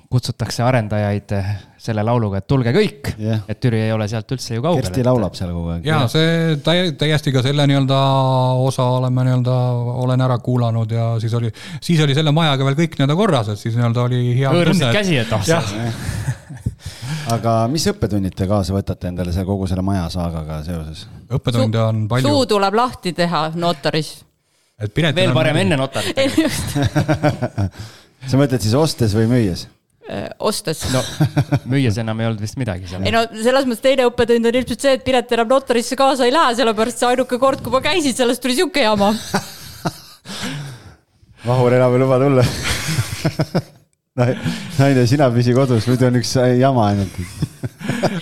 C: kutsutakse arendajaid selle lauluga, et tulge kõik, yeah. Et Türi ei ole sealt üldse ju kaugel.
D: Kersti laulab seal kogu aeg.
E: Ja see täiesti ka selle nii-öelda osa oleme nii-öelda, olen ära kuulanud ja siis oli, siis oli selle majaga veel kõik nii-öelda korras, et siis nii-öelda oli hea
C: õõrsid käsi, et ahsas.
D: Aga mis õppetunnid te kaasa võtate endale see kogu selle maja saagaga seoses?
E: Õppetunde on palju.
F: Suu tuleb lahti teha notaris.
E: Et
C: veel parem enne notarit.
D: Sa mõtled siis ostes või müües?
F: Ostes.
C: No, müües enam ei olnud vist midagi seal.
F: Ei no, selles mõttes teine õppetund on ilmselt see, et Piret enam notarisse kaasa ei lähe, sellepärast see ainuke kord, kui ma käisin, sellest tuli siuke jama.
D: Vahur enam ei luba tulla. Naine, sina püsi kodus, muidu on üks jama ainult.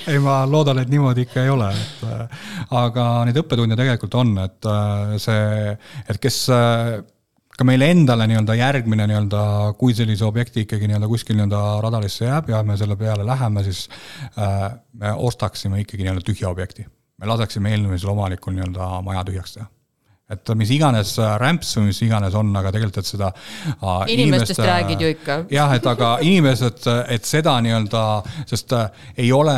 E: Ei, ma loodan, et niimoodi ikka ei ole. Et, aga need õppetunde tegelikult on, et see, et kes ka meile endale nii-öelda järgmine nii-öelda, kui sellise objekti ikkagi nii-öelda kuskil nii-öelda radalisse jääb ja me selle peale läheme, siis äh, me ostaksime ikkagi nii-öelda tühja objekti. Me laseksime eelmisel omanikul nii-öelda maja tühjaks teha. Et mis iganes rämps või mis iganes on, aga tegelikult, et seda äh,
F: inimestest inimest, räägid ju ikka.
E: Jah, et aga inimesed, et seda nii-öelda, sest äh, ei ole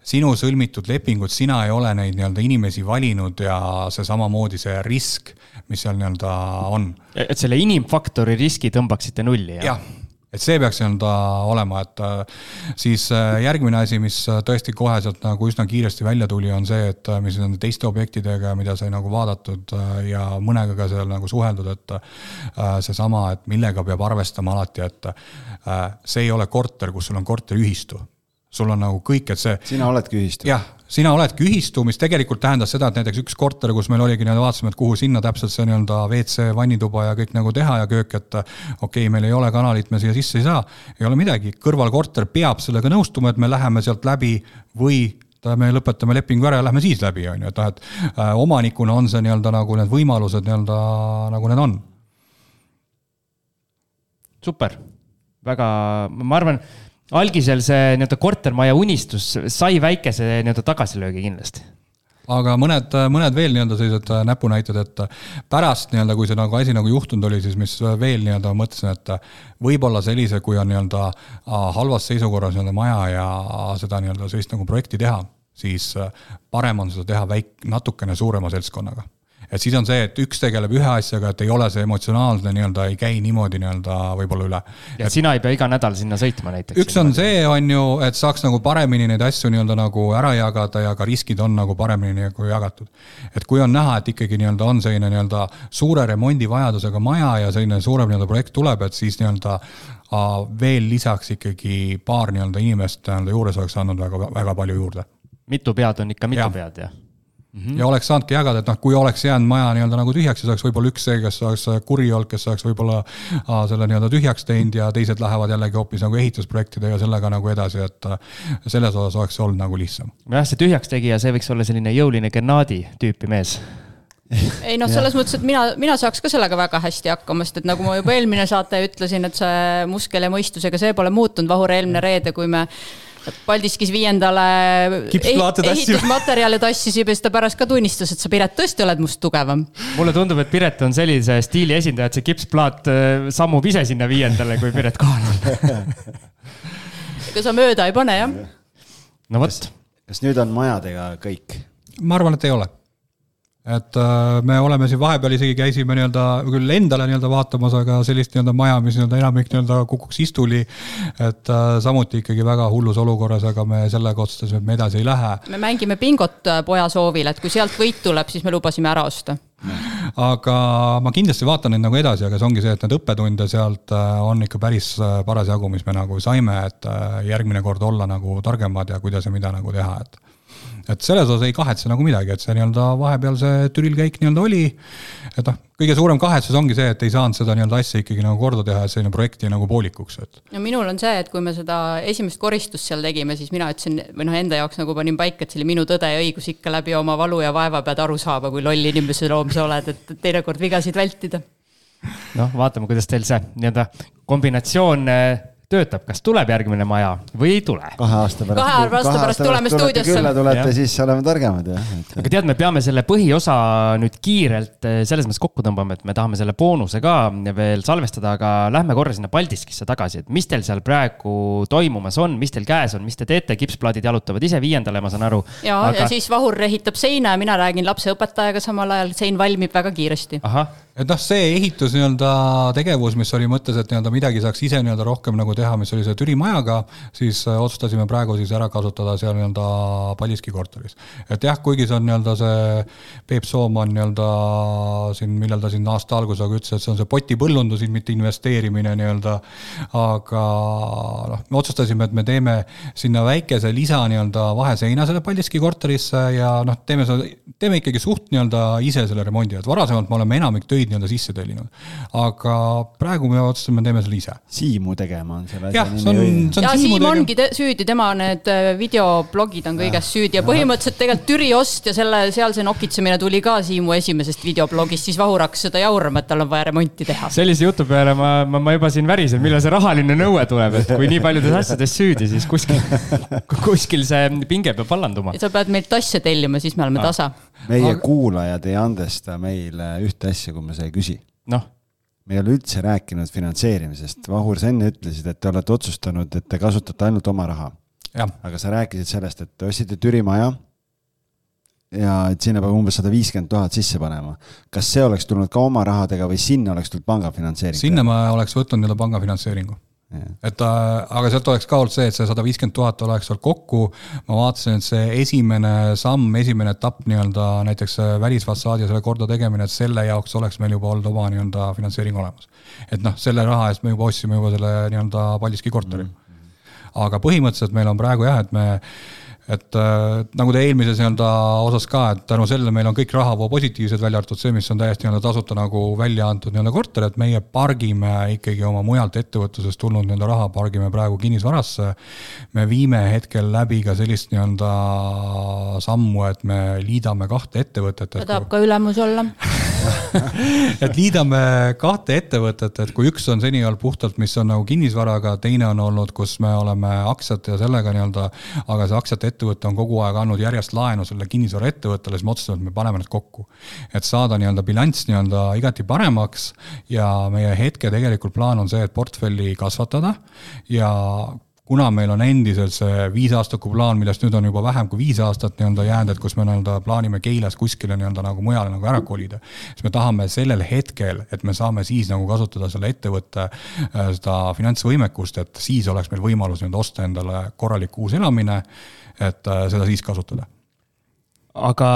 E: sinu sõlmitud lepingud, sina ei ole neid nii-öelda inimesi valinud ja see samamoodi see risk, mis seal nii-öelda on.
C: Et selle inimfaktori riski tõmbaksite nulli, jah?
E: Jah, et see peaks nii-öelda olema, et siis järgmine asi, mis tõesti kohe sealt nagu üsna kiiresti välja tuli, on see, et mis on teiste objektidega, mida sai nagu vaadatud ja mõnega ka seal nagu suheldud, et see sama, et millega peab arvestama alati, et see ei ole korter, kus sul on korteriühistu. Sul on nagu kõik, et see...
D: Sina oledki ühistu.
E: Jah, sina oledki ühistu, mis tegelikult tähendas seda, et näiteks üks korter, kus meil oligi nii-öelda vaatasime, et kuhu sinna täpselt see nii-öelda V C, vannituba ja kõik nagu teha ja köök, et okei, okay, meil ei ole kanalit, me siia sisse ei saa, ei ole midagi. Kõrvalkorter peab sellega nõustuma, et me läheme sealt läbi või me lõpetame lepingu ära ja lähme siis läbi, on ju, et, et äh, omanikuna on see nii-öelda nagu need võimalused nii-öelda nagu need on.
C: Super. Väga, ma arvan, algisel see nii-öelda kortermaja unistus sai väikese nii-öelda tagasilöögi kindlasti.
E: Aga mõned, mõned veel nii-öelda sellised näpunäited, et pärast nii-öelda, kui see nagu asi nagu juhtunud oli, siis mis veel nii-öelda mõtlesin, et võib-olla sellise, kui on nii-öelda halvas seisukorras nii-öelda maja ja seda nii-öelda sellist nagu projekti teha, siis parem on seda teha väik, natukene suurema seltskonnaga. Et siis on see, et üks tegeleb ühe asjaga, et ei ole see emotsionaalne nii-öelda, ei käi niimoodi nii-öelda võib-olla üle.
C: Ja et sina ei pea iga nädal sinna sõitma näiteks.
E: Üks on see, on ju, et saaks nagu paremini neid asju nii-öelda nagu ära jagada ja ka riskid on nagu paremini nagu jagatud. Et kui on näha, et ikkagi nii-öelda on selline nii-öelda suure remondi vajadusega maja ja selline suurem nii-öelda projekt tuleb, et siis nii-öelda veel lisaks ikkagi paar nii-öelda inimest nii-öelda juures oleks andnud väga, väga palju juurde.
C: Mitu pead on ikka mitu
E: ja.
C: pead, jah?
E: Mm-hmm. Ja oleks saanudki jagada, et noh, kui oleks jäänud maja nii-öelda nagu tühjaks, siis oleks võib-olla üks see, kes oleks kuri olnud, kes oleks võib-olla a, selle nii-öelda tühjaks teinud ja teised lähevad jällegi hoopis nagu ehitusprojektidega sellega nagu edasi, et selles osas oleks olnud nagu lihtsam.
C: Jah, see tühjaks tegija, see võiks olla selline jõuline Gennadi tüüpi mees.
F: Ei noh, selles mõttes, et mina, mina saaks ka sellega väga hästi hakkama, sest et nagu ma juba eelmine saate ütlesin, et see muskel ja mõistusega see pole muutunud Vahur eelmine reede, kui me Paldiskis viiendale ehitusmaterjale tassisib ja seda pärast ka tunnistas, et sa Piret tõesti oled must tugevam.
C: Mulle tundub, et Piret on sellise stiili esindaja, et see kipsplaat sammub ise sinna viiendale, kui Piret kohal on.
F: Ega sa mööda ei pane, jah?
C: No võt.
D: Kas, kas nüüd on majadega kõik?
E: Ma arvan, et ei ole. Et me oleme siin vahepeal isegi käisime nii-öelda, küll endale nii-öelda vaatamas, aga sellist nii-öelda maja, mis nii-öelda enamik nii-öelda kukuks istuli, et samuti ikkagi väga hullus olukorras, aga me sellega otsustasime, et me edasi ei lähe.
F: Me mängime bingot poja soovil, et kui sealt võit tuleb, siis me lubasime ära osta.
E: Aga ma kindlasti vaatan neid nagu edasi, aga see ongi see, et need õppetunde sealt on ikka päris paras jagu, mis me nagu saime, et järgmine kord olla nagu targemad ja kuidas ja mida nagu teha, et et selles osas ei kahetse nagu midagi, et see nii-öelda vahepeal see Türilkäik nii-öelda oli, et noh, kõige suurem kahetsus ongi see, et ei saanud seda nii-öelda asja ikkagi nagu korda teha, et selline projekti nagu poolikuks. Et.
F: Ja minul on see, et kui me seda esimest koristust seal tegime, siis mina ütlesin, või noh, enda jaoks nagu panin paika, et see oli minu tõde ja õigus ikka läbi oma valu ja vaeva pead aru saaba, kui lolli inimese loom sa oled, et teinekord vigasid vältida.
C: Noh, vaatame, kuidas teil see nii-öelda kombinatsioon töötab, kas tuleb järgmine maja või ei tule.
D: Kahe aasta pärast,
F: kahe aasta pärast tuleme stuudiosse.
D: Külla tulete, siis oleme targemad. Ja.
C: Aga tead, me peame selle põhiosa nüüd kiirelt selles mõttes kokku tõmbama, et me tahame selle boonuse ka veel salvestada, aga lähme korra sinna Paldiskisse tagasi, et mis teil seal praegu toimumas on, mis teil käes on, mis te teete, kipsplaadid jalutavad ise viiendale, ma saan aru.
F: Ja, aga... ja siis Vahur ehitab seina ja mina räägin lapse õpetajaga samal ajal, sein valmib väga kiiresti.
C: Aha.
E: Et noh, see ehitus nii-öelda tegevus, mis oli mõttes, et nii-öelda midagi saaks ise nii-öelda rohkem nagu teha, mis oli see Türi majaga, siis otsustasime praegu siis ära kasutada seal nii-öelda Paldiski korteris. Et jah, kuigi see on nii-öelda see Peep Sooman nii-öelda siin, millal ta siin aasta algusega ütles, et see on see potipõllundus, mitte investeerimine nii-öelda, aga noh, me otsustasime, et me teeme sinna väikese lisa nii-öelda vaheseina selle Paldiski korterisse ja noh, teeme, teeme ikkagi suht nii-öelda ise selle remondi, et varasemalt me oleme enamik töid nii-öelda sisse tellinud. Aga praegu me otsustasime, teeme selle ise.
D: Siimu tegema on selle
E: jah, see on, see on
F: ja
E: Siimu
F: Siim ongi te- süüdi, tema need videoblogid on kõigest süüdi ja põhimõtteliselt tegelikult Türi ost ja selle sealse nokitsemine tuli ka Siimu esimesest videoblogist, siis Vahur hakkas seda jaurama, et tal on vaja remonti teha.
C: Sellise jutu peale ma, ma, ma juba siin värisen, millal see rahaline nõue tuleb, et kui nii paljudes asjades süüdi, siis kuskil, kuskil see pinge peab vallanduma.
F: Ja sa pead meilt asja tellima, siis me oleme ah. tasa.
D: Meie aga... kuulajad ei andesta meile ühte asja, kui me see ei küsi.
C: Noh.
D: Me ei ole üldse rääkinud finantseerimisest. Vahur, sa enne ütlesid, et te olete otsustanud, et te kasutate ainult oma raha.
E: Ja.
D: Aga sa rääkisid sellest, et te ostsite Türi maja ja et sinna peab umbes sada viiskümmend tuhat sisse panema. Kas see oleks tulnud ka oma rahadega või sinna oleks tulnud panga finantseering?
E: Sinna ma oleks võtnud nii-öelda panga finantseeringu. Ja. Et, aga sealt oleks ka olnud see, et see sada viiskümmend tuhat oleks seal kokku. Ma vaatasin, et see esimene samm, esimene etapp nii-öelda näiteks välisfassaadi ja selle korda tegemine, et selle jaoks oleks meil juba olnud oma nii-öelda finantseering olemas. Et noh, selle raha eest me juba ostsime juba selle nii-öelda Paldiski korteri. Mm-hmm. Aga põhimõtteliselt meil on praegu jah, et me et äh, nagu te eelmises nii-öelda osas ka, et tänu sellele meil on kõik rahavoo positiivsed välja arvatud see, mis on täiesti nii-öelda tasuta nagu välja antud nii-öelda korter, et meie pargime ikkagi oma mujalt ettevõtlusest tulnud nii-öelda raha, pargime praegu kinnisvarasse. Me viime hetkel läbi ka sellist nii-öelda sammu, et me liidame kahte ettevõtet.
F: Ta tahab ka ülemus olla.
E: et liidame kahte ettevõtet, et kui üks on seni olnud puhtalt, mis on nagu kinnisvaraga, teine on olnud, kus me oleme aktsiat ja sellega nii-öelda, aga see aktsiate ettevõte on kogu aeg andnud järjest laenu selle kinnisvara ettevõttele, siis me otsustame, et me paneme need kokku. Et saada nii-öelda bilanss nii-öelda igati paremaks ja meie hetke tegelikult plaan on see, et portfelli kasvatada ja kuna meil on endiselt see viisaastaku plaan, millest nüüd on juba vähem kui viis aastat nii-öelda jäänud, et kus me nii-öelda plaanime Keilas kuskile nii-öelda nagu mujale nagu ära kolida, siis me tahame sellel hetkel, et me saame siis nagu kasutada selle ettevõtte seda finantsvõimekust, et siis oleks meil võimalus nii-öelda osta endale korralik uus elamine, et seda siis kasutada.
C: Aga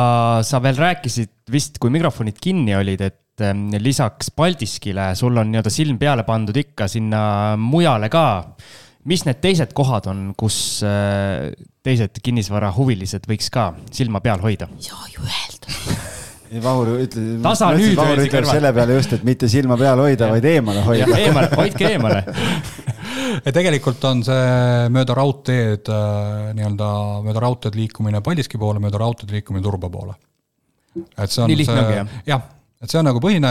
C: sa veel rääkisid vist, kui mikrofonid kinni olid, et lisaks Paldiskile sul on nii-öelda silm peale pandud ikka sinna mujale ka. Mis need teised kohad on, kus teised kinnisvara huvilised võiks ka silma peal hoida?
F: Ei saa ju öelda.
D: Vahur ütle,
C: Tasa nüüd
D: Vahur ütleb selle peale just, et mitte silma peal hoida, vaid eemale hoida.
C: Ja, eemale, hoidke eemale.
E: Ja tegelikult on see mööda raudteed, nii-öelda mööda raudteed liikumine Paldiski poole, mööda raudteed liikumine Turba poole. Et see on
C: nii lihtne ongi, jah?
E: Jah. Et see on nagu põhine,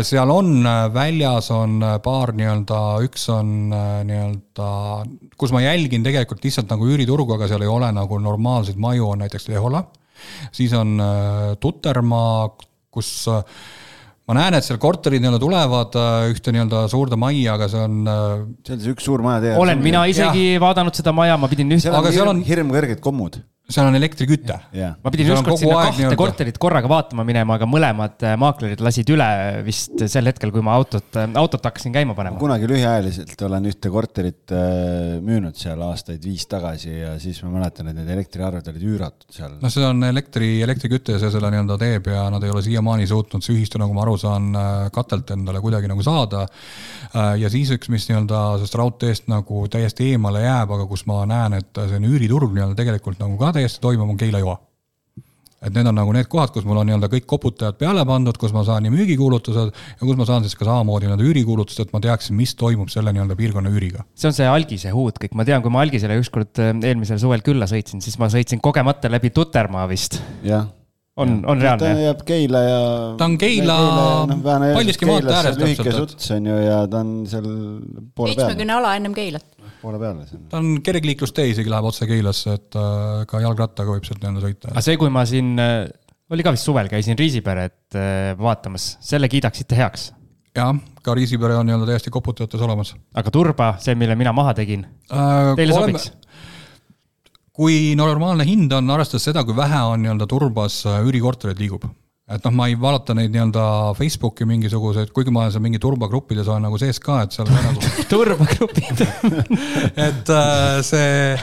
E: seal on väljas on paar nii-öelda, üks on nii-öelda, kus ma jälgin tegelikult lihtsalt nagu üüriturgu, aga seal ei ole nagu normaalseid maju, on näiteks Lehola. Siis on Tutermaa, kus ma näen, et seal korterid nii-öelda tulevad ühte nii-öelda suurde majja, aga see on...
D: See on see üks suur maja teha.
C: Olen mina isegi ja. vaadanud seda maja, ma pidin üht...
D: Seal on, hirm, on... hirm kõrged kommud.
E: Seal on elektriküte.
D: Yeah.
C: Ma pidin ükskord sinna kahte nii-öelda. korterit korraga vaatama minema, aga mõlemad maaklerid lasid üle vist sel hetkel, kui ma autot, autot hakkasin käima panema.
D: Kunagi lühiajaliselt olen ühte korterit müünud seal aastaid viis tagasi ja siis ma mäletan, et need elektriarved olid üüratud seal.
E: No see on elektri, elektriküte ja see selle nii-öelda teeb ja nad ei ole siiamaani suutnud see ühistu, nagu ma aru saan, katelt endale kuidagi nagu saada. Ja siis üks, mis nii-öelda sest raudteest nagu täiesti eemale jääb, aga kus ma näen, et see üüriturg nii-öelda tegelikult nagu ka täiesti toimub, on Keila joa. et need on nagu need kohad, kus mul on nii-öelda kõik koputajad peale pandud, kus ma saan nii müügikuulutused ja kus ma saan siis ka samamoodi nii-öelda üürikuulutused, et ma teaksin, mis toimub selle nii-öelda piirkonna üüriga.
C: See on see Algise huud kõik. Ma tean, kui ma Algisele ükskord eelmisel suvel külla sõitsin, siis ma sõitsin kogemata läbi Tutermaa vist.
D: Jah.
C: On, on reaalne.
D: Ta jääb Keila ja...
E: Ta on Keila, no, Paldiski maalt äärest.
D: Lühike suts on ju ja ta on seal poole peale.
F: seitsmekümne ala ennem Keilat.
D: Poole peale.
E: Ta on kergliiklustee isegi läheb otse Keilasse, et ka jalgrattaga võib sealt nõnda sõita.
C: Aga see, kui ma siin, oli ka vist suvel, käisin Riisiperet vaatamas, selle kiidaksite heaks?
E: Jah, ka Riisipere on nii-öelda täiesti koputajates olemas.
C: Aga Turba, see, mille mina maha tegin, äh, teile oleme... sobiks?
E: Kui normaalne hind on, arvestades seda, kui vähe on nii-öelda Turbas üürikorterid liigub. Et noh, ma ei vaadata neid nii-öelda Facebooki mingisuguseid, kuigi ma olen seal mingi turbagrupides olen nagu sees ka, et seal on nagu...
C: Turbagrupid.
E: et see...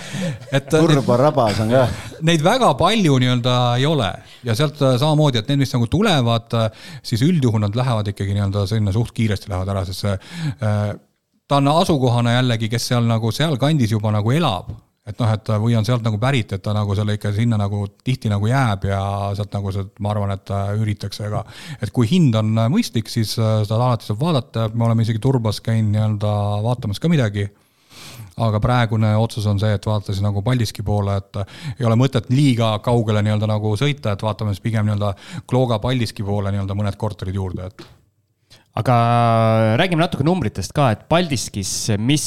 E: Et
D: Turbarabas on ka.
E: Neid väga palju nii-öelda ei ole. Ja sealt samamoodi, et need, mis nagu tulevad, siis üldjuhul nad lähevad ikkagi nii-öelda selline suht kiiresti lähevad ära, sest see, ta on asukohana jällegi, kes seal nagu seal kandis juba nagu elab. Et noh, et või on sealt nagu pärit, et ta nagu selle ikka sinna nagu tihti nagu jääb ja sealt nagu see, ma arvan, et üritakse, aga et kui hind on mõistlik, siis seda alati saab vaadata, me oleme isegi Turbas käin nii-öelda vaatamas ka midagi, aga praegune otsus on see, et vaatasin nagu Paldiski poole, et ei ole mõtet liiga kaugele nii-öelda nagu sõita, et vaatame siis pigem nii-öelda Klooga Paldiski poole nii-öelda mõned korterid juurde, et
C: aga räägime natuke numbritest ka, et Paldiskis, mis,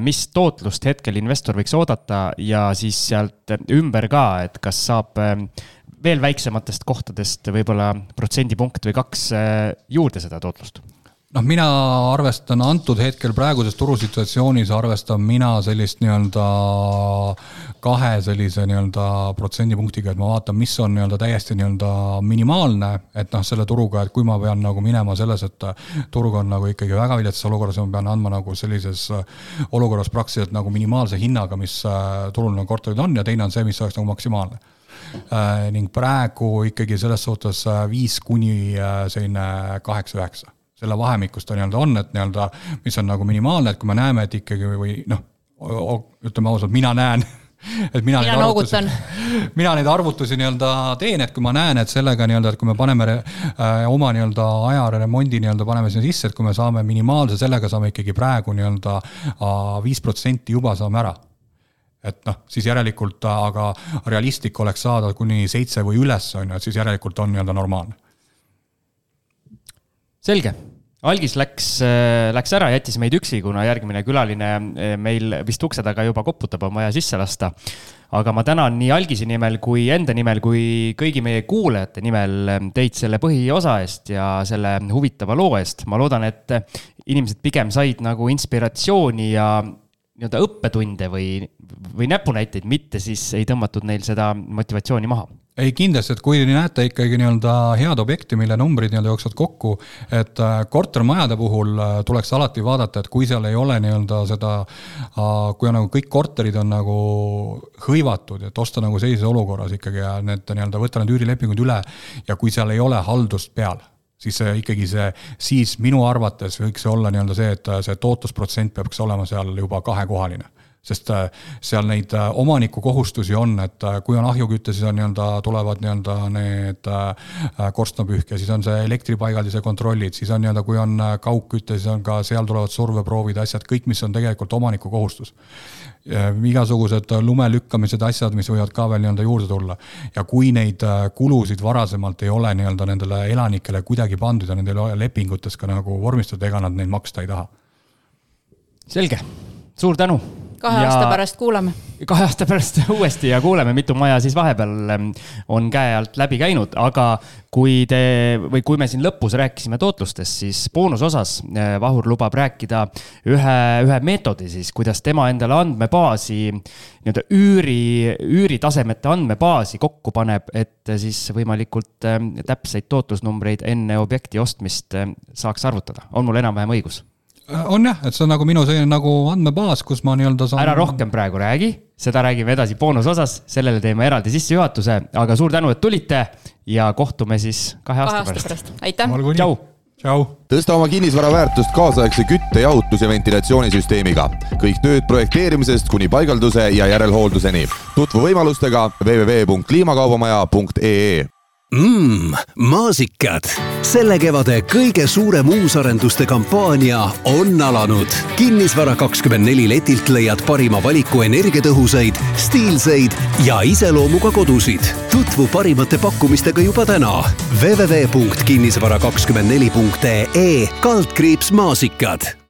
C: mis tootlust hetkel investor võiks oodata ja siis sealt ümber ka, et kas saab veel väiksematest kohtadest võib-olla protsendipunkt või kaks juurde seda tootlust?
E: Noh, mina arvestan antud hetkel praeguses turusituatsioonis, arvestan mina sellist nii-öelda kahe sellise nii-öelda protsendipunktiga, et ma vaatan, mis on nii-öelda täiesti nii-öelda minimaalne, et noh, selle turuga, et kui ma pean nagu minema selles, et turg on nagu ikkagi väga viletsas olukorras, ma pean andma nagu sellises olukorras praktiliselt nagu minimaalse hinnaga, mis turul nagu korterid on ja teine on see, mis oleks nagu maksimaalne. Ning praegu ikkagi selles suhtes viis kuni selline kaheksa üheksa. Selle vahemikust ta nii-öelda on, et nii-öelda, mis on nagu minimaalne, et kui me näeme, et ikkagi või noh, ütleme ausalt, mina näen, et mina, mina, neid arvutusi, mina neid arvutusi nii-öelda teen, et kui ma näen, et sellega nii-öelda, et kui me paneme äh, oma nii-öelda ajaremondi nii-öelda paneme sinna sisse, et kui me saame minimaalse, sellega saame ikkagi praegu nii-öelda viis protsenti juba saame ära. Et noh, siis järelikult, aga realistlik oleks saada kuni seitse või üles, on, et siis järelikult on nii-öelda normaalne.
C: Selge. Algis läks, läks ära, jättis meid üksi, kuna järgmine külaline meil vist ukse taga juba koputab, on vaja sisse lasta. Aga ma tänan nii Algisi nimel kui enda nimel kui kõigi meie kuulajate nimel teid selle põhiosa eest ja selle huvitava loo eest. Ma loodan, et inimesed pigem said nagu inspiratsiooni ja nii-öelda õppetunde või, või näpunäiteid, mitte siis ei tõmmatud neil seda motivatsiooni maha.
E: Ei kindlasti, et kui näete ikkagi nii-öelda head objekti, mille numbrid nii-öelda jooksvad kokku, et kortermajade puhul tuleks alati vaadata, et kui seal ei ole nii-öelda seda, kui on nagu kõik korterid on nagu hõivatud, et osta nagu sellises olukorras ikkagi ja need nii-öelda võtta need üürilepingud üle ja kui seal ei ole haldust peal, siis see ikkagi see, siis minu arvates võiks olla nii-öelda see, et see tootlusprotsent peaks olema seal juba kahekohaline. Sest seal neid omaniku kohustusi on, et kui on ahjukütte, siis on nii-öelda, tulevad nii-öelda need korstnapühke, siis on see elektripaigaldise kontrollid, siis on nii-öelda, kui on kaugkütte, siis on ka seal tulevad surveproovid, asjad, kõik, mis on tegelikult omaniku kohustus. Igasugused lumelükkamised, asjad, mis võivad ka veel nii-öelda juurde tulla. Ja kui neid kulusid varasemalt ei ole nii-öelda nendele elanikele kuidagi pandud ja nendele lepingutes ka nagu vormistada, ega nad neid maksta ei taha.
C: Selge. Suur tänu.
F: Kahe ja aasta pärast kuuleme.
C: Kahe aasta pärast uuesti ja kuuleme, mitu maja siis vahepeal on käe alt läbi käinud, aga kui, te, või kui me siin lõpus rääkisime tootlustest, siis boonusosas Vahur lubab rääkida ühe, ühe meetodi siis, kuidas tema endale andmebaasi, nii-öelda üüri, üüritasemete andmebaasi kokku paneb, et siis võimalikult täpseid tootlusnumbreid enne objekti ostmist saaks arvutada. On mul enam-vähem õigus?
E: On jah, et see on nagu minu selline nagu andmebaas, kus ma nii-öelda saan...
C: Ära rohkem praegu räägi, seda räägime edasi boonusosas, sellele teeme eraldi sissejuhatuse, aga suur tänu, et tulite ja kohtume siis kahe, kahe aasta pärast.
F: Aitäh!
C: Tšau!
E: Tšau!
A: Tõsta oma kinnisvara väärtust kaasaegse kütte, jahutus ja ventilatsioonisüsteemiga. Kõik tööd projekteerimisest kuni paigalduse ja järelhoolduseni. Tutvu võimalustega w w w punkt kliimakaubamaja punkt e e.
B: Mmm, maasikad. Selle kevade kõige suurem uusarenduste kampaania on alanud. Kinnisvara kakskümmend neli letilt leiad parima valiku energiatõhusaid, stiilseid ja iseloomuga kodusid. Tutvu parimate pakkumistega juba täna. w w w punkt kinnisvara kakskümmend neli punkt e e kaldkriips maasikad.